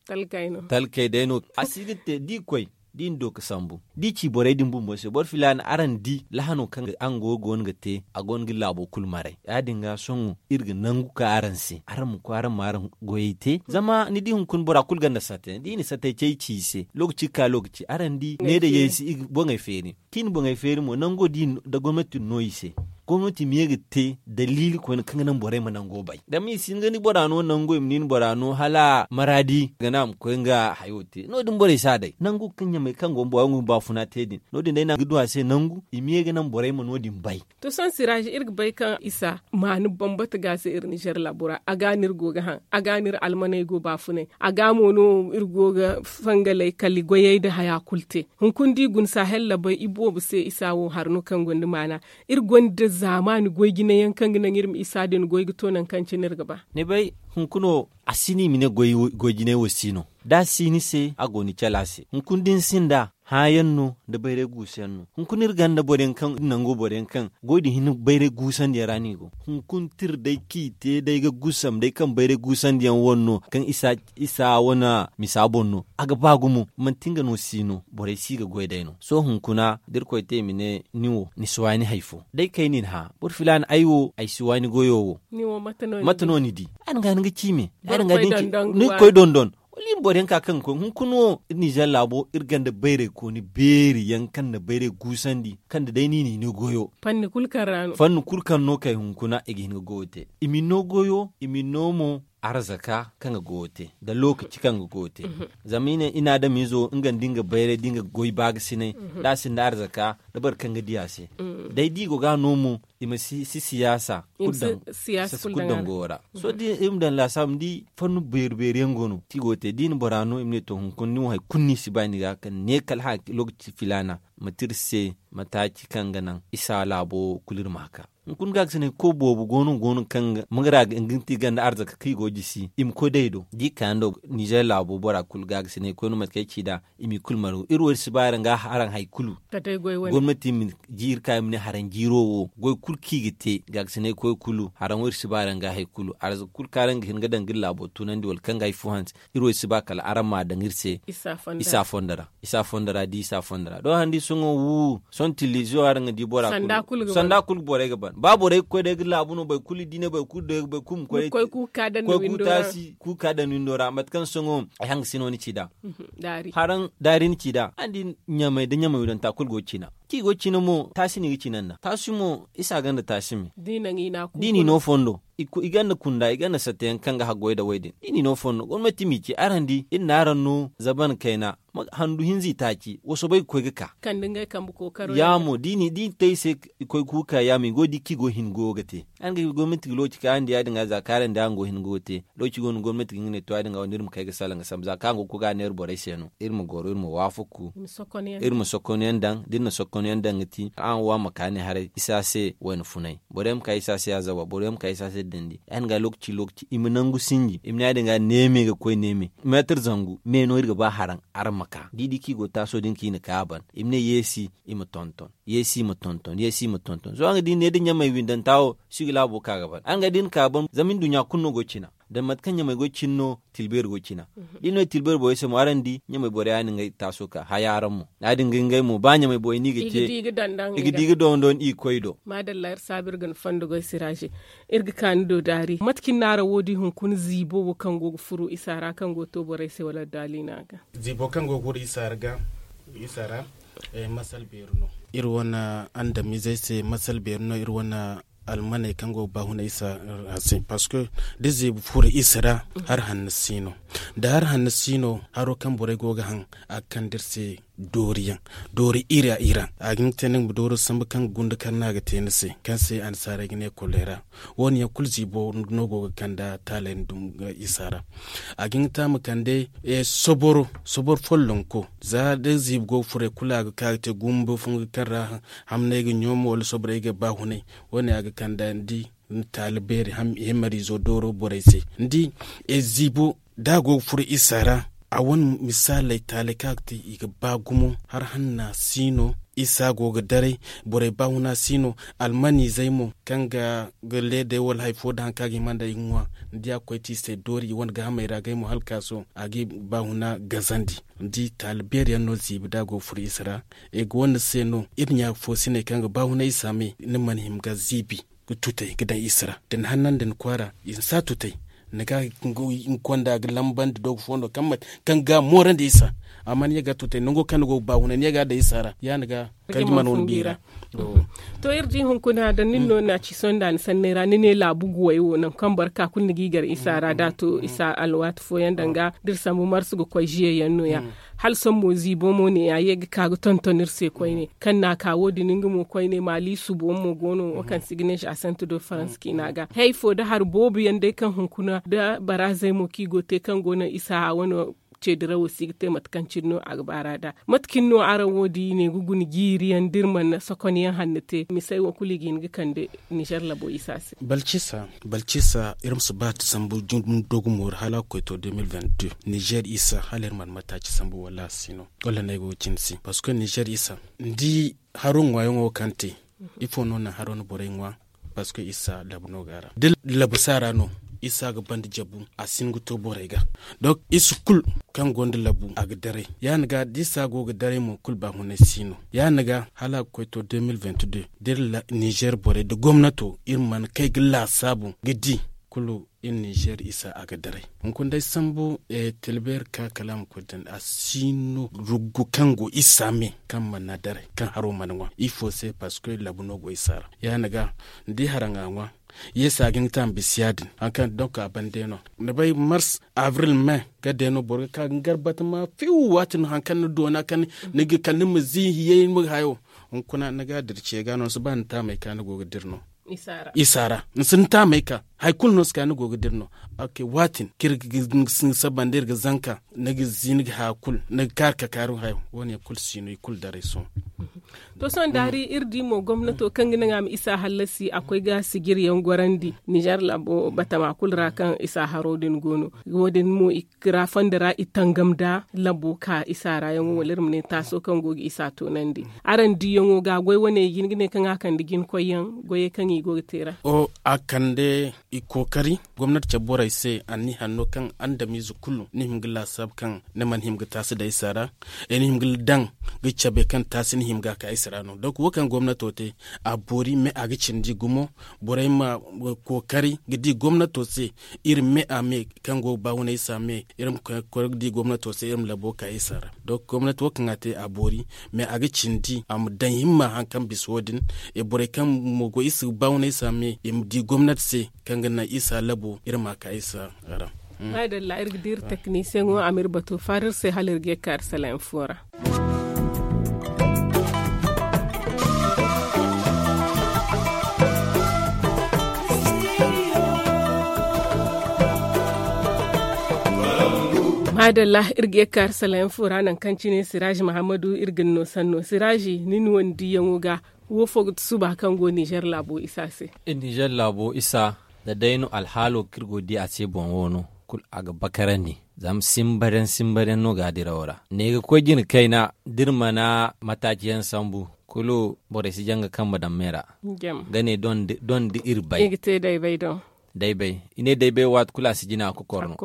talkey day no a si ga te da i koy da i na dooka sambu da i ci borey din bumbo se boro filaana araŋ di lahano kaŋ araŋ go ga te a go no ga laabo kulu maray ya- din ga sohõ iri ga nangu ka araŋ se araŋ ma koy araŋ ma araŋ goyey te zama ni di hunkuna bora kulu gonda satte da i na sattey cay ci i se lookaci ga ka lookaci araŋ di ne da yay se i ga boŋey feeri kaŋ i na boŋey feeri mo nango da gomnati na no i se gomnati ma ye ga te daliili koyne kaŋ ga naŋ borey ma nango bay zama i si hin ga ni bora no nango i ma ni ni bora no hala maradi ga naŋ a ma koy nga hayo te no- din borey si a day nangu kaŋ ɲamey kaŋ go bora nga ma baafuna te din no- din day no a ga du a se nangu i ma ye ga naŋ borey ma no- din bay to sohõ siraazi iri ga bay kaŋ isa maanu bambata ga se iri nizer laabo ra a ga no iri go ga haŋ a ga no iri almaney go baafunay a ga mo no iri go ga fangaley kala goyey nda haya kulu te hunkuna da i guna sahel labey i boobo se isa wo hari no kaŋ gonda maana iri gonda zaamaani goy jinayaŋ kaŋ ga naŋ iri ma isa din goy ga to nangu kaŋ cine iri ga ba ni bay hunkuna wo a si no i ma ne goy jinay wo si no da a si ni se a go ni cala se hunkuna da ni sinda hããyaŋ no nda bayray guusuyaŋ no hunkuna iri gonda boro yaŋ kaŋ iri nango boro yaŋ kaŋ goy din hinne bayray guusandiyaŋ ra no i go hunkuna tira day kaŋ i te day ga gusam day kaŋ bayray guusandiyaŋ wane no kaŋ isa isa wane misa boŋ no a ga ba gumo manti nga no si no borey si ga goy day no sohõ hunkuna da irkoy te i ma ne ni wo ni si waani hari fo day kay no i na hã boro filaana ay wo ay si waani goyo wo mate no ni di ay na ga ni ga ci me ay na ga ni ga ci ni ga koy dondon wala i ma boro yaŋ ka kaŋ ga koy hunkuna wo iri nizer laabo iri gonda bayray kooni beeri yaŋ kaŋ na bayray guusandi kaŋ da day no i na hini goyo fanni kulu kaŋ no kay hunkuna i ga hin ga goyo te i ma ni no goyo i ma ni no mo arzaka kaŋ ga goyo te nda lookaci kaŋ ga goyo te zama i ne i na adamiizo nga nda nga bayray da nga goy baagasinay da a sinda arzaka da boro kaŋ ga di a se day da i go ga a no mo i ma si siyaasa kulu daŋ goyo ra sohõ da iri ma daŋ laasaabu ni di fannu beeri beeri yaŋ go no kaŋ i go ga te da i na bora no i ma ne to hunkuna ni wo hari kulu no i si ba ni ga kaŋ ne kala hã lookaci filaana mate iri se mataaci kaŋ ga naŋ isa laabo kulu iri ma a ka hunkuna gaakasinay koy boobo go no go no kaŋ ga mangara ga nga ti ganda arzaka kaŋ i go ga jisi i ma koy day do da i kaayaŋ do nizer laabo bora kulu gaakasinay koy no mate kaŋ ay ci nd'a i m'i kulu margu iri wo iri si ba araŋ ga araŋ hari kulu gomnati ma jiiri ka i ma ne haraŋ jiiro wo goy kulu kaŋ i ga te gaakasinay koy kulu haraŋ wo iri si ba araŋ ga hari kulu arzaka kulu kaŋ araŋ ga hin ga daŋ ga iri laabo tunandi wala kaŋ ga hari fo hanse iri wo iri si ba kala araŋ ma a daŋ iri se isa fondo ra isa fondo ra da isa fondo ra doŋ handi sohõ wu sohõ tiliziyo araŋ ga di bora kulu sanda kulu borey ga ban ba borey ga koy day ga laabu no boro kulu di ne boro kulu day boro kulu ma koy. Koy kuuka daŋ ni windo ra. Mate kaŋ sohõ ay hanga si no ni ci nd'a. Haraŋ daari ni ci nd'a araŋ di ɲamay nda ɲamay windo nta kulu go ga cina kaŋ i go ga cina mo taasi no i ga cina nd'a taasi mo isa ganda taasi me. Da i no fondo i ganda kunda i ganda satta yaŋ kaŋ ga haggoy nda wo- din da i no fondo gomnati m'i ci araŋ di iri na araŋ no zaban kayna handu hinza i taaci wa soobay ga koy ga ka. Ya mo da i na te i se i koy kuuka ya mo i go ga di kaŋ i go ga hin goyo ga te. Araŋ ga gomnati ga looci kaŋ araŋ di ya- din ga za kaŋ araŋ di araŋ go ga hin goyo ga te. Looci go no gomnati ga nga ne to ya- din ga wande iri ma kay ga salaŋ ga sambu za kaŋ araŋ go ga koy ga a neera borey se no iri ma goro iri ma waafaku. Iri ma sokon yaŋ daŋ da iri na sokon yaŋ daŋ ga ti araŋ wo a ma ka ne haray isa se wayna funay boro yaŋ ma ka isa se azawa boro yaŋ ma ka isa se dandi ya- din ga lookaci lookaci i ma nangu sinji i ma ne ya- din ga neeme ga koy neeme meetar zangu me no iri ga ba haraŋ. Araŋ ma ka da i di kaŋ i go taaso din kaŋ i na ka a ban i ma ne yeesi i ma tonton. Yeesi i ma tonton sohõ araŋ ga di ne da ɲamay windanta wo si ga laabo ka ga ban araŋ ga di ni ka ban zama nduɲɲa kulu no go ga cina. Da mate kaŋ ɲamay go ga cina no tilbeeri go ga cina. Da i no i tilbeeri borey se mo araŋ di ɲamay borey ya- din ga ay taaso ka haya araŋ mo ya- din ga ngey mo ba ɲamay borey no i ga te i ga di ga dondon i ga koy do. Maadalla iri saabu iri ga ni fondo goy siraaze. Iri ga ka ni do daari mate cine no araŋ wo- din hunkuna ziibo wo kaŋ go ga furo isa ra kaŋ go ga to borey se wala daali no a ga. Ziibo kaŋ go ga furo isa ra ga isa ra masal beeri no. Iri wane andamizey se masal beeri no iri wane almaney kaŋ go ga baahuna isa ra se parceque da ziibo furo isa ra hari hanno si no. Da hari hanno si no haro kaŋ borey go ga haŋ a ga kande iri se doori yaŋ doori iri a iri a a ga hin ga te ni ma dooro sambu kaŋ ga gunda kar no a ga te ni se kaŋ se annasaarey ga ne koleera. Wo- din yaŋ kulu ziibo no go ga kande taaley nda isa ra. A ga hin ga te a ma kande soboro follonko za da ziibo go ga furo kulu a ga ka ga te gumba funga kaŋ ra hamney ga ɲoomo wala soborey ga baahunay. Wo- din a ga kande ni di taali beeri himariizo dooro borey se ni di ziibo da a go ga furo isa ra. A wane misaaley taaley kaŋ a ga te i ga ba gumo hari hanna si no isa go ga daray. Borey baahuna si no almaniizey mo kaŋ ga leedey wala hari fo da hari kaŋ a ga hima nd'a i ga ŋwa. Ni di a ga koy te i se doori i wane gaahamey ra ngey mo hala ka sohõ a ga i baahuna gazandi. Ni di taali beeri yaŋ no ziibi da a go ga furo isa ra. Ay ga wane se no iri ɲaafoosiney kaŋ ga baahuna isa me ni mana hima ga ziibi ga tutay ga daŋ isa ra da ni hannandi ni kwaara i ma si a tutay. Ni ga nga konda ga lambandi doogo fo no kaŋ ga moorandi isa. Amma ni ye ga a tutay nango kaŋ ni go ga baahuna ni ye ga a daŋ isa ra ya ni ga kala juma no ni biira. To iri di hunkuna da nin no na ci sonda ni sanney ra ni ne laabu guwey wo nangu kaŋ boro ka kulu ni g'i gar isa ra da a to isa alwaati fooyaŋ danga da iri sambu marsu ga koy ziye yaŋ no- ya. Hala sohõ mo ziibo mo ne a ye ga ka ga tonton iri se koyne kaŋ na a ka wo- din nga mo koyne maaliisu boŋ mo go no wo kaŋ si ga ne za sente do faransa ciina ga hari fo da hari boobo yaŋ day kaŋ hunkuna da baraazey mo kaŋ i go ga te kaŋ go naŋ isa wane ceedirawo si ga te mate kaŋ cine no a ga baara nd'a. Mate cine no araŋ wo- din i ne ga guna jiiri yaŋ da iri mana sokon yaŋ hanno te misey wo kulu i ga hin ga kande nizer labo isa se. Balcisa iri ma si ba ti sambu doogu moori hala a ga koy to deux mille vingt deux nizer isa hala iri mana mataaci sambu wala a si no? Wala no ay go ga cine si parceque nizer isa ni di haro ŋwaayaŋo wo kaŋ te ifo no naŋ haro na borey ŋwa? Parceque isa labu no go a ra da labu si a ra no isa ga banda jabu a si hin ga to borey ga. Donk isa kulu kaŋ gonda labu a ga daray ya- ni ga da isa go ga daray mo kulu baahunay si no ya- ni ga hala a ga koy to deux mille vingt deux da iri nizer borey da gomnato iri mana kay ga laasaabu ga di kulu iri nizer isa a ga daray. Hunkuna day sambu tilbeeri ka kala a ma koy dandi a si no ruggu kaŋ go isa me kaŋ mana daray kaŋ haro mana ŋwa ifo se parceque labu no go isa ra ya- ni ga ni di haraŋ a ŋwa. Yeesu a ga hin ga te a ma bisa ya- din hari kaŋ donk a ban day no ni bay mars abril me ga day no boro ga ka ga ni gar batama fiw waati no hari kaŋ ni doona kaŋ ni ga kala ni ma ziihi yay ni ma ga hayo. Hunkuna ni ga a dira ce ga no ni si ba ni taamey ka ni go ga dira no isa ra ni si ni taamey ka hari kulu no si ka ni go ga dira no. Waati din kaŋ iri ga saba nda iri ga zanka ni ga zi ni ga haya kulu ni ga kaari ka kaari hayo wo- ne kulu si no i kulu daray sohõ. To sohõ daari iri di mo gomnato kaŋ ga naŋ a ma isa hallasi a koy ga sijiri yaŋ gorandi nizer labo batama kulu ra kaŋ isa haro din go no. Wo- din mo i ga ra fondo ra i tangam nda labo ka isa ra yaŋo wala iri ma ne taaso kaŋ go ga isa toonandi araŋ diyaŋo ga goy wane i ga hin ga ne kaŋ a kande jina koy yaŋ goyey kaŋ i go ga te ra. A kande i kookari gomnati cabe borey se anniya hanno kaŋ andamiize kulu ni hima ga laasaabu kaŋ ni mana hima ga taasi daŋ isa ra. Ni hima ga daŋ ga cabe kaŋ taasi ni hima ga ka isa ra no. Donk wo kaŋ gomnato te, a boori me a ga cindi gumo. Borey ma kookari ga di gomnato se. Iri me a me kaŋ go ga ba wane isa me, iri ma koy ga di gomnato se, iri ma labo ka isa ra. Donk gomnati wo kaŋ a te a boori, me a ga cindi a ma daŋ himma hari kaŋ bisa wo- din. Borey kaŋ mo go isa ga ba wane isa me, i ma di gomnati se kaŋ ga naŋ isa labo iri ma ka isa ra. Maadalla, iri ga di iri teknisiyeŋo a ma iri batu faari iri se hala iri ga ye ga ka iri sala info ra. Maadalla, iri ga ye ga ka iri sala info ra nangu kaŋ cine siraaji mahammadu iri ga ni no sanno siraaji ni ni wane diiyaŋo ga. Wo fo ga ti suba kaŋ go ninzeer laabo isa se? Ninzeer laabo isa, da day no alhaalo kaŋ iri go ga di a se boŋ wo no, kulu a ga bakarandi. Zama simbareyaŋ simbareyaŋ no ga a dirawo ra ne ga koy jina kayna da iri mana mataaci yaŋ sambu, kulu borey si jaŋ ga kambe daŋ me ra. Ga ne doŋ da iri bay. Day bay i ne day bay waati kulu a si jina a kokor no.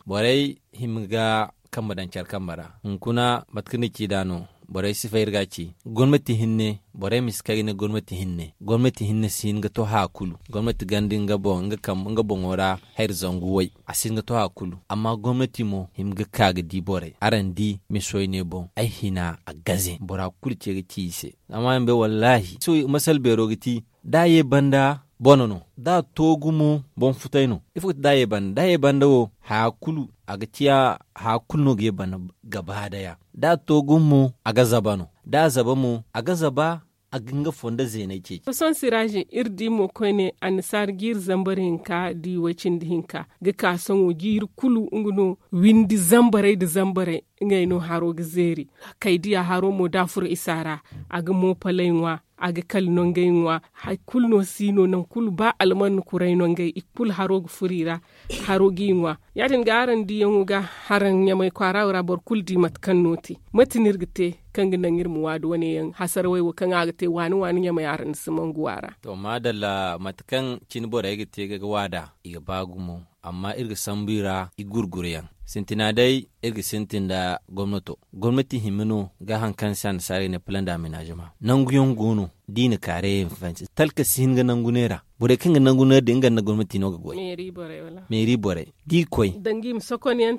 Borey hima ga kambe daŋ care kambe ra. Hunkuna mate kaŋ ni ci nd'a no, borey si fay iri ga a ci. Gomnati hinne, borey ma si kay ga ne gomnati hinne gomnati hinne si hin ga to haya kulu. Gomnati ganda nga boŋo ra hayri zangu way, a si hin ga to haya kulu. Amma gomnati mo hima ga ka ga di borey araŋ di misoy ne boŋ ay hina a gaze bora kulu ce ga ci i se. Amma araŋ bay wallaahi sohõ masal beero ga ti, da a ye banda bone no, da a to gumo boŋ futay no. Ifo ga ti da a ye banda da a ye banda wo haya kulu a ga ciya. Haya kulu no ga ye banda gaba daya. Da a to gumo a ga zaba no, da a zaba mo a ga zaba. A ga nga fondo zeeney ceeci. Sohõ siraaji iri di mo koyne annasaara jiiri zambar hinka di way cindi hinka ga ka sohõ jiiri kulu nga no. Windi zambarey nda zambarey ngey no haro ga zeeri. Kay diya haro mo da a furo isa ra a ga moopaley ŋwa, a ga kala nongey ŋwa. Hari kulu no si no nangu kulu ba almanna kuray nongey i kulu haro ga furo i ra. Haro g'i ŋwa. Ya- din ga araŋ diiyaŋo ga haraŋ ɲamay kwaara wo ra boro kulu di mate kaŋ no te. Mate no iri ga te kaŋ ga naŋ iri ma waadu wane yaŋ hasarawey wo kaŋ a ga te waani waani ɲamay araŋ na si mangu a ra? To maadalla mate kaŋ cine borey ga te ga waada i ga ba gumo. Amma iri ga sambu i ra i gurguru yaŋ. Sintina day iri ga sintin nda gomnato. Gomnati hima no ga hari kaŋ se annasaara ga ne plan da amenaazema nangu yaŋ go no. Da i na kaarey yaŋ fansi talka si hin ga nangu neera. Borey kaŋ ga nangu neera din nga nda gomnati no ga goy. Meeri borey da i koy, i ma sokomyaŋ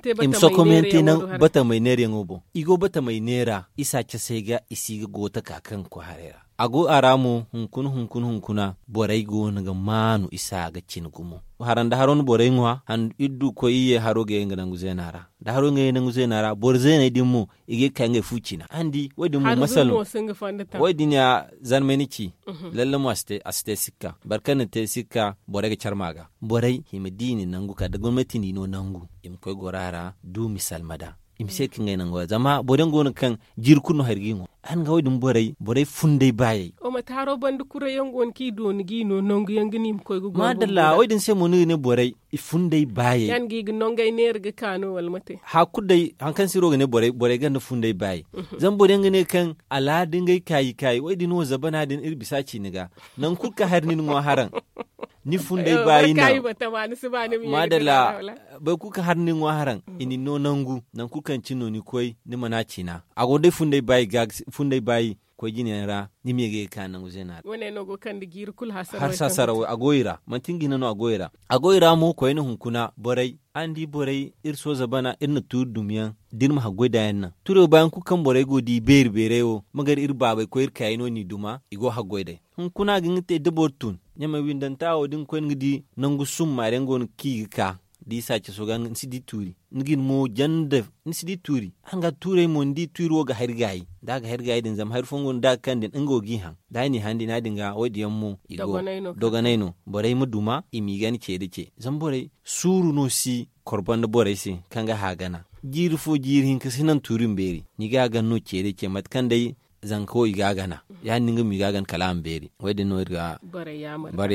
te batamey neera yaŋo boŋ. I go batamey neera isa casey ga i si ga goota ka kaŋ ga koy haray ra. A go a ra mo hunkuna hunkuna hunkuna borey go no ga maanu isa ga cine gumo. Hara nda haro no borey ŋwa iri du koy iri ye haro ga ye nga nangu zeena ra. Da haro ga ye nangu zeena ra boro zeeney din mo i ga ye ga ka ngey fu cina araŋ di wo- din mo masal no. Wo- din ya zarmay ni ci. Lalle mo a si te sikka boro kaŋ na te sikka borey ga care ma ga. Borey i ma di i na nangu kala da gomnati n'i no nangu i ma koy goro a ra. Du misal ma da i ma se ka ngey nangu ra zama boro yaŋ go no kaŋ jiiri kulu no hari ga i ŋwa. Araŋ ga wo- din borey borey funday baayey. Mate haro banda kuray yaŋ go no kaŋ i dooni ga i no nangu yaŋ ga no i ma koy ga goy maadalla wo- din se mo ni ga ne borey i funday baayey. Yaŋ ga i ga nongey neera ga ka no wala mate? Hari kulu day hari kaŋ se iri wo ga ne borey borey ganda funday baayey. Zama boro yaŋ ga ne kaŋ alaada ngey kaayi kaayi wo- din wo zabana din iri bisa a ci ni ga. Nangu kulu kaŋ hari ni na ŋwa haraŋ ni funday baayi no. Maadalla. Boro kulu kaŋ hari ni na ŋwa haraŋ i na ni no nangu nangu kulu kaŋ cine no ni koy ni mana cina a go day funday baayi ga funday baayi. Koy jine yaŋ ra ni ma ye ga ye ga ka nangu zeena ra. Wane no go kande jiiri kulu hasara way a go i ra manti nga hina no a go i ra. A go i ra mo koyne hunkuna borey araŋ di borey iri sooza bana iri na tuuri dumi yaŋ da iri ma haggoy da yaŋ naŋ tuuri wo baayaŋ kulu kaŋ borey go ga di beeri beerey wo ma gar iri baabey koy iri kaayey no n'i duma i go ga haggoy day. Hunkuna ga nga te da boro tun ɲamay windanta wo da ni koy ni ga di nangu summaari yaŋ go no kaŋ i ga ka da i saacaso ga ni si di tuuri. Ni ga ni mo janda ni si di tuuri. Araŋ ga tuurey mo ni di tuuri wo ga hari gaayi da a ga hari gaayi din zama hari fooyaŋ go no da a ga kande nga wo g'i haŋ da a n'i haŋ din ya- din ga wo- din yaŋ mo i go dogonay no. Borey ma duma i m'i gana ce da ce zama borey suuru no si korbo nda borey se kaŋ ga hã gana. Jiiri fo jiiri hinka si naŋ tuuri ma beeri ni ga a gana no ce da ce mate kaŋ day zanka wo i ga a gana ya- din nga mo i ga a gana kala a ma beeri. Wo- din no iri ga bare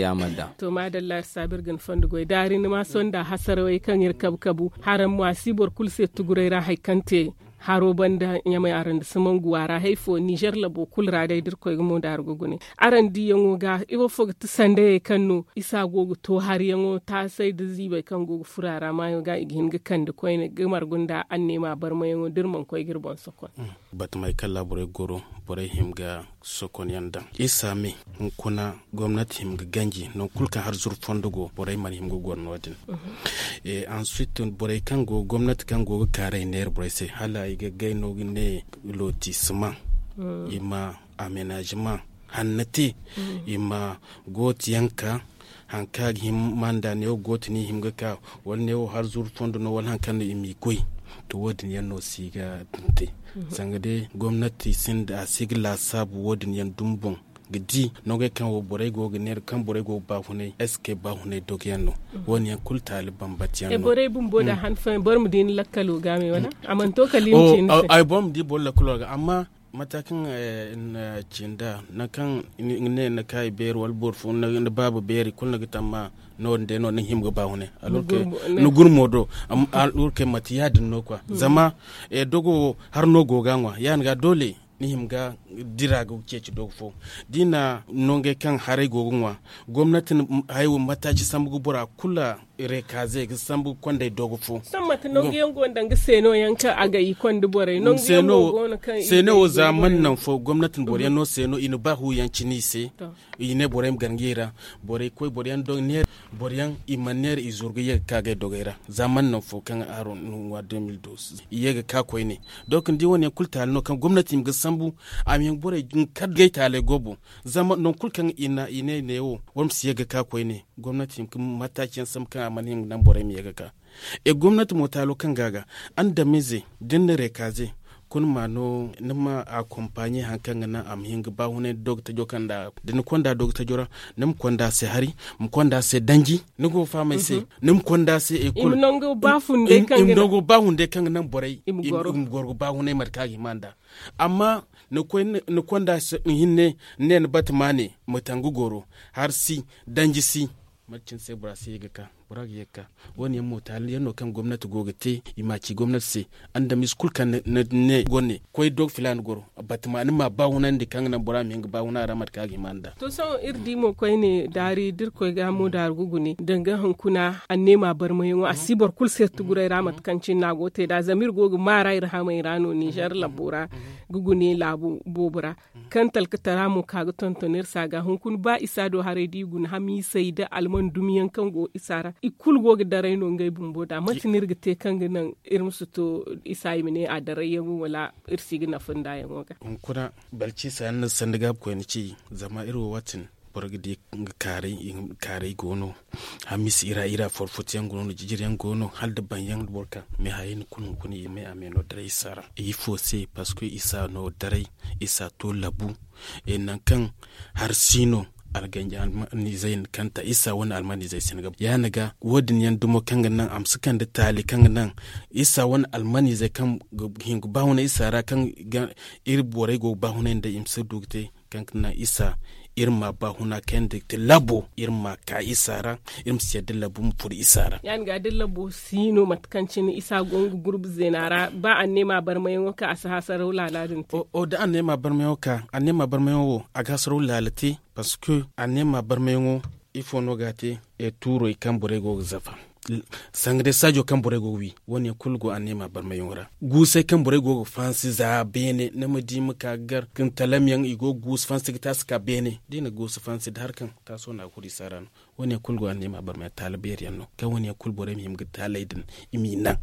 yaamar da. To maadalla iri saabu iri ga ni fondo goy daari ni ma sonda hasarawey kaŋ iri kabu kabu haraŋ mo a si boro kulu se tuguray ra hari kaŋ te haro banda ɲamay araŋ da si mangu a ra hari fo ninzeer labo kulu ra day da iri koy ga mo da hari ga gune. Araŋ diiyaŋo ga ifo fo ga ti sandayey kaŋ no isa go ga to hariyaŋo taasay da ziibay kaŋ go ga furo a ra maayo ga i ga hin ga kande koyne ga margu nda anneema barmayaŋo da iri mana koy ga iri boŋ sokon. Batamey kaŋ ra borey goro borey hima ga sokon yaŋ daŋ isa me. Hunkuna gomnati hima ga ganji nangu kulu kaŋ har zuru fondo go borey mana hima ga goro no- din. Ansuit borey kaŋ go gomnati kaŋ go ga kaaray neera borey se hala i ga gay no ga ne lotisima, i ma amenazima hanna te, i ma gooti yaŋ ka hari kaŋ a ga hima ma nda neewo gooti no i hima ga ka, wala neewo hari zuru fondo no wala hari kaŋ no i m'i goy. To wo- din yaŋ no si ga te. Zanga day gomnati sinda a si ga laasaabu wo- din yaŋ dumi boŋ ga di nangey kaŋ wo borey go ga neera kaŋ borey go ga baafunay est ce que baafunay dogo yaŋ no? Wo- ne yaŋ kulu taali bambata yaŋ no. Borey bumbo da han fooyaŋ boro ma di ni lakkalo ga me wala a mana to kala i ma ci ni se. Ay boro ma di boro lakkalo ga amma mate kaŋ ni na ci nd'a nangu kaŋ ni ne ni na kaayi beeri wala boro fo ni baaba beeri kulu ni ga tamma no- din day no ni hima ga baafunay. Ni gurmo do. Alurkey mate ya- din no kwa zama dogo wo hari no go ga a ŋwa ya- din ga doole ni hima ga dira ga ceeci dogo fo. Da i na nangey kaŋ haray go ga ŋwa gomnati na haya wo mataaci sambu ga bora kulu reekaaze ga sambu ga kondey dogo fo. Sohõ mate nangu yaŋ go nda nga seeno yaŋ kaŋ a ga i konda borey nangu yaŋ mo go no kaŋ i seeno wo za mana naŋ fo gomnati na boro yaŋ no seeno i na ba hu yaŋ cine i se. I ne borey ma gar ngey ra. Borey koy boro yaŋ doŋ neera boro yaŋ i mana neera i zuru ga ye ga ka gay dogey ra. Za mana naŋ fo kaŋ haro na ŋwa deux mille douze i ye ga ka koyne. Donk ni di wo- ne yaŋ kulu taali no kaŋ gomnati i ma ga sambu a ma yaŋ ga borey kar gay taaley go boŋ. Zama nangu kulu kaŋ i ne i ne wo boro ma si ye ga ka koyne gomnati i ma ga mataaci yaŋ sambu kaŋ a mana hima ga naŋ borey ma ye ga ka. E gomnati mo taalo kaŋ ga a ga andamize da ni na reekaaze kulu ma no ni ma akompaɲe hari kaŋ ga naŋ a ma hin ga baahunay da dogatajo kaŋ nda da ni konda dogatajo ra ni ma konda se hari ma konda se danji ni go ga fahamay se ni ma konda se ekol i ma nango baahunday kaŋ ga naŋ borey i ma goro ga baahunay mate kaŋ a ga hima nda. Amma ni konda se hinne ni ne ni bata maane ma tangu goro hari si danji si. Mate cine se bora si ye ga ka bora ga ye ga ka wo- ne yaŋ mo taali yaŋ no kaŋ gomnati go ga te i ma a ci gomnati se. Andamize kulu kaŋ ni ne goro ne koy dogo filaana goro bata ma ni ma baahunandi kaŋ ga naŋ bora ma hin ga baahuna ra mate kaŋ a ga hima nda. To sohõ iri di mo koyne daari da iri koy ga mo daari ga gune danga hunkuna anneema barmayaŋo a si boro kulu se tuguray ra mate kaŋ cine no a go ga te nd'a zama iri go ga maara iri hamey ra no ninzeer lambo ra ga gune laabu boobo ra. Kaŋ talkatara mo ka ga tonton iri se a ga hunkuna ba isa do haray da i guna hamiisey nda alman dumiyaŋ kaŋ go isa ra i kulu go ga daray no ngey bumbo nd'a mate no iri ga te kaŋ ga naŋ iri ma si to isa i ma ne a darayyaŋo wala iri si ga nafa nd'a yaŋo ga. Hunkuna balciisa yaŋ no sanda gaabi koyne ci zama iri wo waati din boro ga di nga kaaray go no. Hamiisi ira ira forfoto yaŋ go no jijiri yaŋ go no hala da baŋ yaŋ da boro ka me hayey ni kulu hunkuna i me a me no daray isa ra ifo se parceque isa no daray isa to labu. Nangu kaŋ hari si no alganji almanizey na kanta isa wane almanizey si ni ga ya- din ga wo- din yaŋ dumo kaŋ ga naŋ a ma si kande taali kaŋ ga naŋ isa wane almanizey kaŋ ga hin ga baahuna isa ra kaŋ iri borey go ga baahunay nda i ma si du ga te kaŋ ga naŋ isa iri ma baahuna kayandi ga te labo iri ma ka isa ra. Iri ma si yadda labu ma furo isa ra ya- din ga da labo si no mate kaŋ cine isa go nga gurbu zeena ra ba anneema barmayaŋo kaŋ a si hasaraw laala din te. Da anneema barmayaŋo ka anneema barmayaŋo wo a ga hasaraw laala te. Parceque anneema barmayaŋo ifo no ga a te? Tuurey kaŋ borey go ga zafa sanga day saajo kaŋ borey go ga wi wo- ne yaŋ kulu go anneema barmayaŋo ra. Guusey kaŋ borey go ga fansi za beene ni ma di ma ka ga gar kaŋ talam yaŋ i go ga guusu fansi ga taasi ka beene da i na guusu fansi da hari kaŋ taaso no a ga furo isa ra no. Wo- ne yaŋ kulu go anneema barmayaŋ taala beeri yaŋ no kaŋ wo- ne yaŋ kulu borey ma hima ga taaley din i m'i naŋ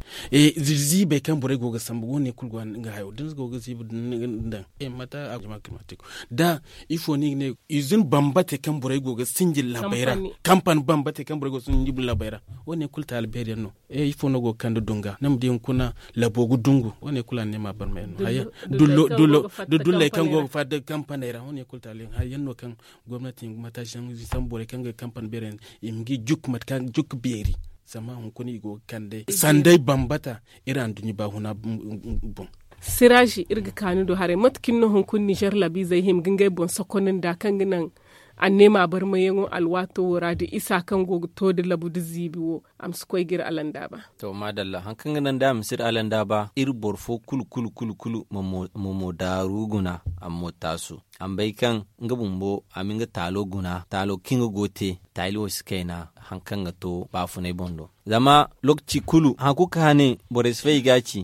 ziibey kaŋ borey go ga sambu wo- ne yaŋ kulu go nga hayo da ni go ga ziibi din daŋ mate a ga jama climatique da ifo no i ga ne izin bambate kaŋ borey go ga sinji laabey ra. Kampani bambate kaŋ borey go ga sinji laabey ra wo- ne yaŋ kulu taali beeri yaŋ no. Ifo no go ga kande dunga ni ma di hunkuna labo ga dungu wo- ne yaŋ kulu anneema barma yaŋ no. Dulley kaŋ go ga fatta kampaney ra wo- ne yaŋ kulu taali yaŋ hari yaŋ no kaŋ gomnati mataaci yaŋ sambu borey kaŋ ga kampani beeri yaŋ i ma ga i jukku mate kaŋ jukku beeri. Zama hunkuna i go ga kande sanday bambata iri anduɲɲa baahuna boŋ. Siraazi iri ga ka ni do haray mate cine no hunkuna nizer labiizey hima ga ngey boŋ sokonandi a kaŋ ga naŋ anneema barmayaŋo alwaato wo ra da isa kaŋ go ga to da labu da ziibi wo a ma si koy ga iri alandaaba. To maadalla hari kaŋ ga naŋ day a ma si iri alandaaba iri boro fo kulu kulu kulu kulu ma mo daaru guna a ma mo taasu. A ma bay kaŋ nga bumbo a ma nga taalo guna taalo kaŋ nga go ga te taali wo si kayna hari kaŋ ga to baafunay boŋ do. Zama lookaci kulu hari kulu kaŋ a ne borey si fay i ga a ci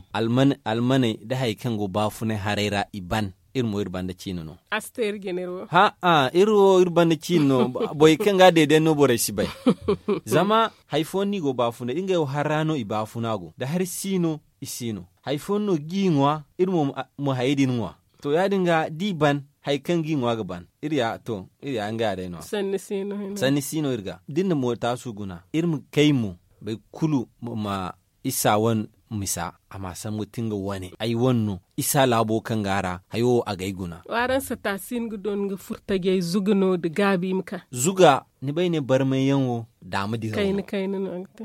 almaney da hari kaŋ go baafunay haray ra i ban. iri mo iri banda ciine no. Asteer jener wo. Ha a iri wo iri banda ciine no. Borey kaŋ ga a deedeyaŋ no borey si bay. Zama hari fooyaŋ no i go baafuna iri ngey wo hari ra no i baafuna go da hari si no. I si no hari fooyaŋ no ga i ŋwa iri mo ma hayey din ŋwa. To ya- din ga da i ban hari kaŋ ga i ŋwa ga ban iri ya to iri ya ngey a day no. Sanni si no iri ga da iri na mo taasu guna iri ma kay mo boro kulu ma isa wane misa a ma sambu ti nga wane ay wane no isa laabo kaŋ go a ra hayo wo a gay guna. Waraŋ sata si ni ga doon ga furtajey zuga no nda gaabi ma ka. Zuga ni bay ne barmayyaŋ wo daama diraw no.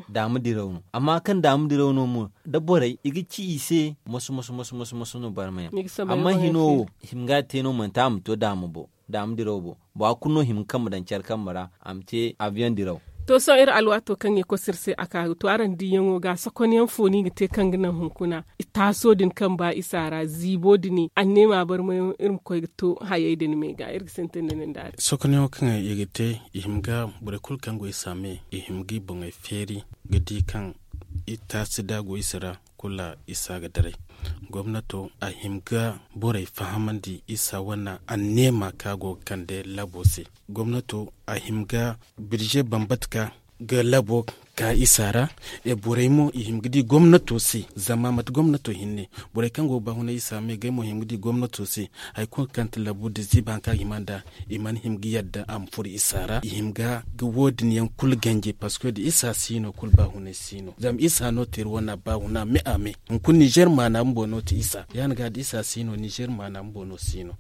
Daama diraw no amma kaŋ daama diraw no mo da borey i ga ci i se moso moso moso moso no barmayyaŋ. Amma hino wo hima ga a te no manti a ma to daama bo daama diraw bo. Bora kulu no hima ga kambe daŋ care kambe ra a ma te abiyaŋ diraw. To sohõ iri alwaato kaŋ i kosu iri se a ka ga to araŋ diiyaŋo ga sokonyaŋ fo no i ga te kaŋ ga naŋ hunkuna taaso din kaŋ ba isa ra ziibo din anneema barmayaŋ iri ma koy ga to hayey din me ga iri ga sintin da nin daari. Sokonyaŋo kaŋ i ga te i hima ga borey kulu kaŋ go isa me i hima ga i boŋey feeri ga di kaŋ taasi da a go isa ra kulu isa ga daray. Gomnato a hima ga borey fahamandi isa wane anneema kaŋ a go ga kande labo se. Gomnato a hima ga birze bambata ka ga labo ka isa ra. Borey mo i hima ga di gomnato se zama mate gomnato hinne borey kaŋ go ga baahunay isa me gay mo hima ga di gomnato se hari kulu kaŋ ti labo da ziiba hari kaŋ a ga hima nd'a i mana hima ga yadda a ma furo isa ra i hima ga wo- din yaŋ kulu ganji parceque da isa si no kulu baahunay si no zama isa no te iri wane baahuna me a me hunkuna nizer maana bumbo no ti isa ya- din ga da isa si no nizer maana bumbo no si no.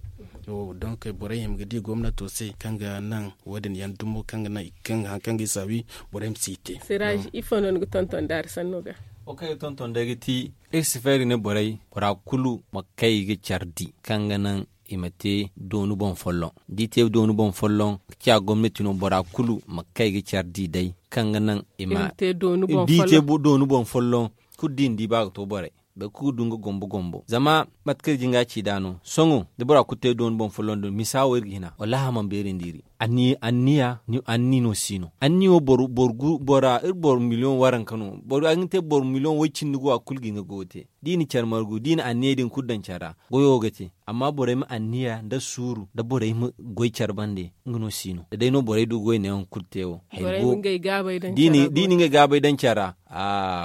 Donk borey hima ga di gomnato se kaŋ ga naŋ wo- din yaŋ dumo kaŋ ga naŋ hari kaŋ ga isa wi borey ma si te. Siraaji ifo no ni ga tonton daari sanno ga? Wo kaŋ ay ga tonton day ga ti iri si feeri ne borey bora kulu ma kay ga care di kaŋ ga naŋ i ma te doonu boŋ folloŋ da i te doonu boŋ folloŋ ga ciya gomnati no bora kulu ma kay ga care di day kaŋ ga naŋ i ma te doonu boŋ folloŋ. Kulu da i na di ba ga to borey boro kulu ga du nga gombo gombo zama mate kaŋ iri jin ga a ci nd'a no sohõ da bora kulu te doonu boŋ folloŋ din misa wo iri ga hina wallaahi a mana beeri nda iri. Anniya anniya no si no anniya wo boro boro miliyoŋ waranka no boro a ga hin te boro miliyoŋ woy cindi go a kulu ga nga goyo te da i na care margu da i na anniyey din kulu daŋ care ra goyo ga te. Amma borey ma anniya nda suuru nda borey ma goy care bande nga no si no da day no borey du goy neeyaŋ kulu te wo. Da i na ngey gaabey daŋ care ra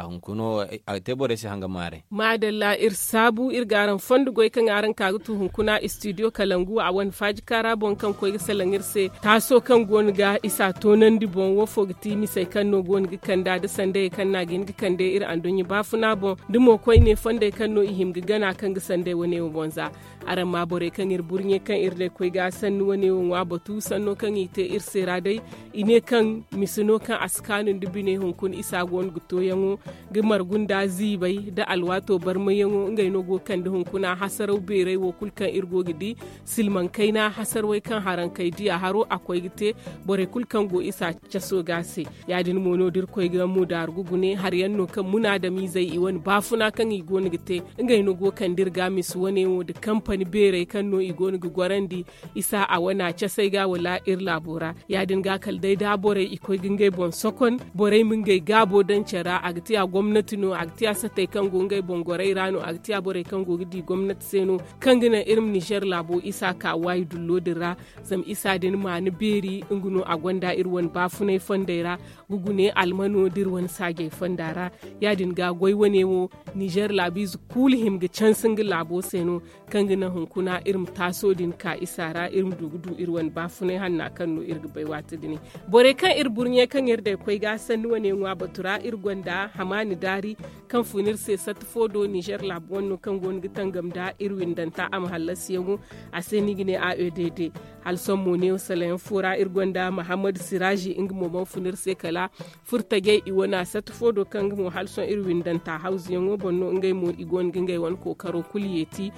hunkuna wo a ga te borey se hanga maaray. Maadalla iri saabu iri ga araŋ fondo goy kaŋ araŋ ka ga tu hunkuna istidiyo kalangu a wane faaji kaara boŋ kaŋ koy ga salaŋ iri se taaso kaŋ go no ga isa toonandi boŋ wo fo ga ti misey kaŋ no go no ga kanda nda sandayey kaŋ no a ga hin ga kande iri anduɲɲa baafuna boŋ da mo koyne fondey kaŋ no i hima ga gana kaŋ ga sanday wane wo boŋ za. Araŋ ma borey kaŋ iri burɲe kaŋ iri day koy ga sanni wane wo ŋwa batu sanno kaŋ i te iri se ra day i ne kaŋ mise no kaŋ a si kaanu nda bine hunkuna isa go no ga tooyaŋo ga margu nda ziibay nda alwaato barmayyaŋo ngey no go ga kande hunkuna hasaraw beeray wo kulu kaŋ iri go ga di silmaŋ kayna hasarwey kaŋ haraŋ kay diya haro a koy ga te borey kulu kaŋ go isa caso ga se. Ya- din mo no da iri koy ga mudaaru ga gune hari yaŋ no kaŋ munaadamiizey i wane baafuna kaŋ i go no ga te ngey no go ga kande iri ga misa wane wo nda kampani beerey kaŋ no i go no ga gorandi isa a wana casey ga wala iri laabo ra. Ya- din ga kala day da borey i koy ga ngey boŋ sokon borey ma ngey gaabo daŋ care ra a ga tiya gomnati no a ga tiya satey kaŋ go ngey boŋ gorey ra no a ga tiya borey kaŋ go ga di gomnati se no kaŋ ga naŋ iri ma nizer laabo isa ka waayi dullo din ra. Zama isa din maana beeri nga no a gonda iri wane baafunay fondey ra ga gune almano da iri wane saajey fonda ra. Ya- din ga goy wane wo nizer laabiize kuulu hima ga canse nga laabo se no kaŋ ga naŋ hunkuna iri ma taaso din ka isa ra iri ma du ga du iri wane baafunay hanna kaŋ no iri ga bay waati din. Borey kaŋ iri burɲe kaŋ iri day koy ga sanni wane ŋwa batu ra iri gonda hamaani daari kaŋ fun iri se satti fo do nizer laabu wane no kaŋ go no ga tangam nda iri windanta a ma hallasiyaŋo a se no i ga ne a e d d. Hala sohõ mo neewo salayaŋ fo ra iri gonda mahammad siraazi nga mo mana fun iri se kala furtajey i wane a satti fo do kaŋ nga mo hala sohõ iri windanta hawzuyaŋo boŋ no ngey mo i go no ga ngey wane kookaro kulu yeeti.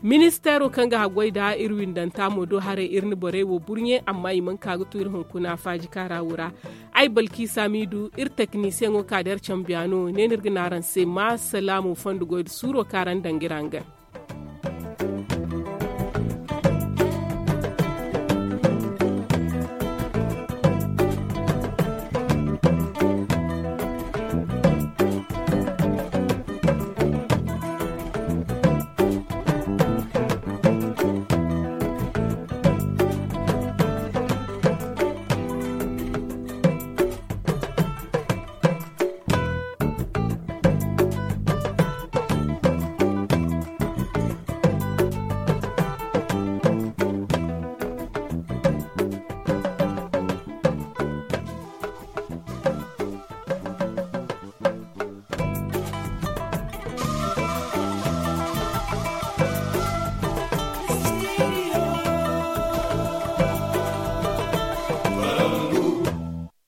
Ministeero kaŋ ga haggoy nda iri windanta mo do haray iri na borey wo burɲe amma i mana ka ga tu iri hunkuna faaji kaara wo ra. Ay balkiisa miidu iri teknisiyeŋo ka da iri cambiyaano ne no iri ga ne araŋ se ma salaamu fondo goy nda suuro kaŋ araŋ daŋ ga iri hangan.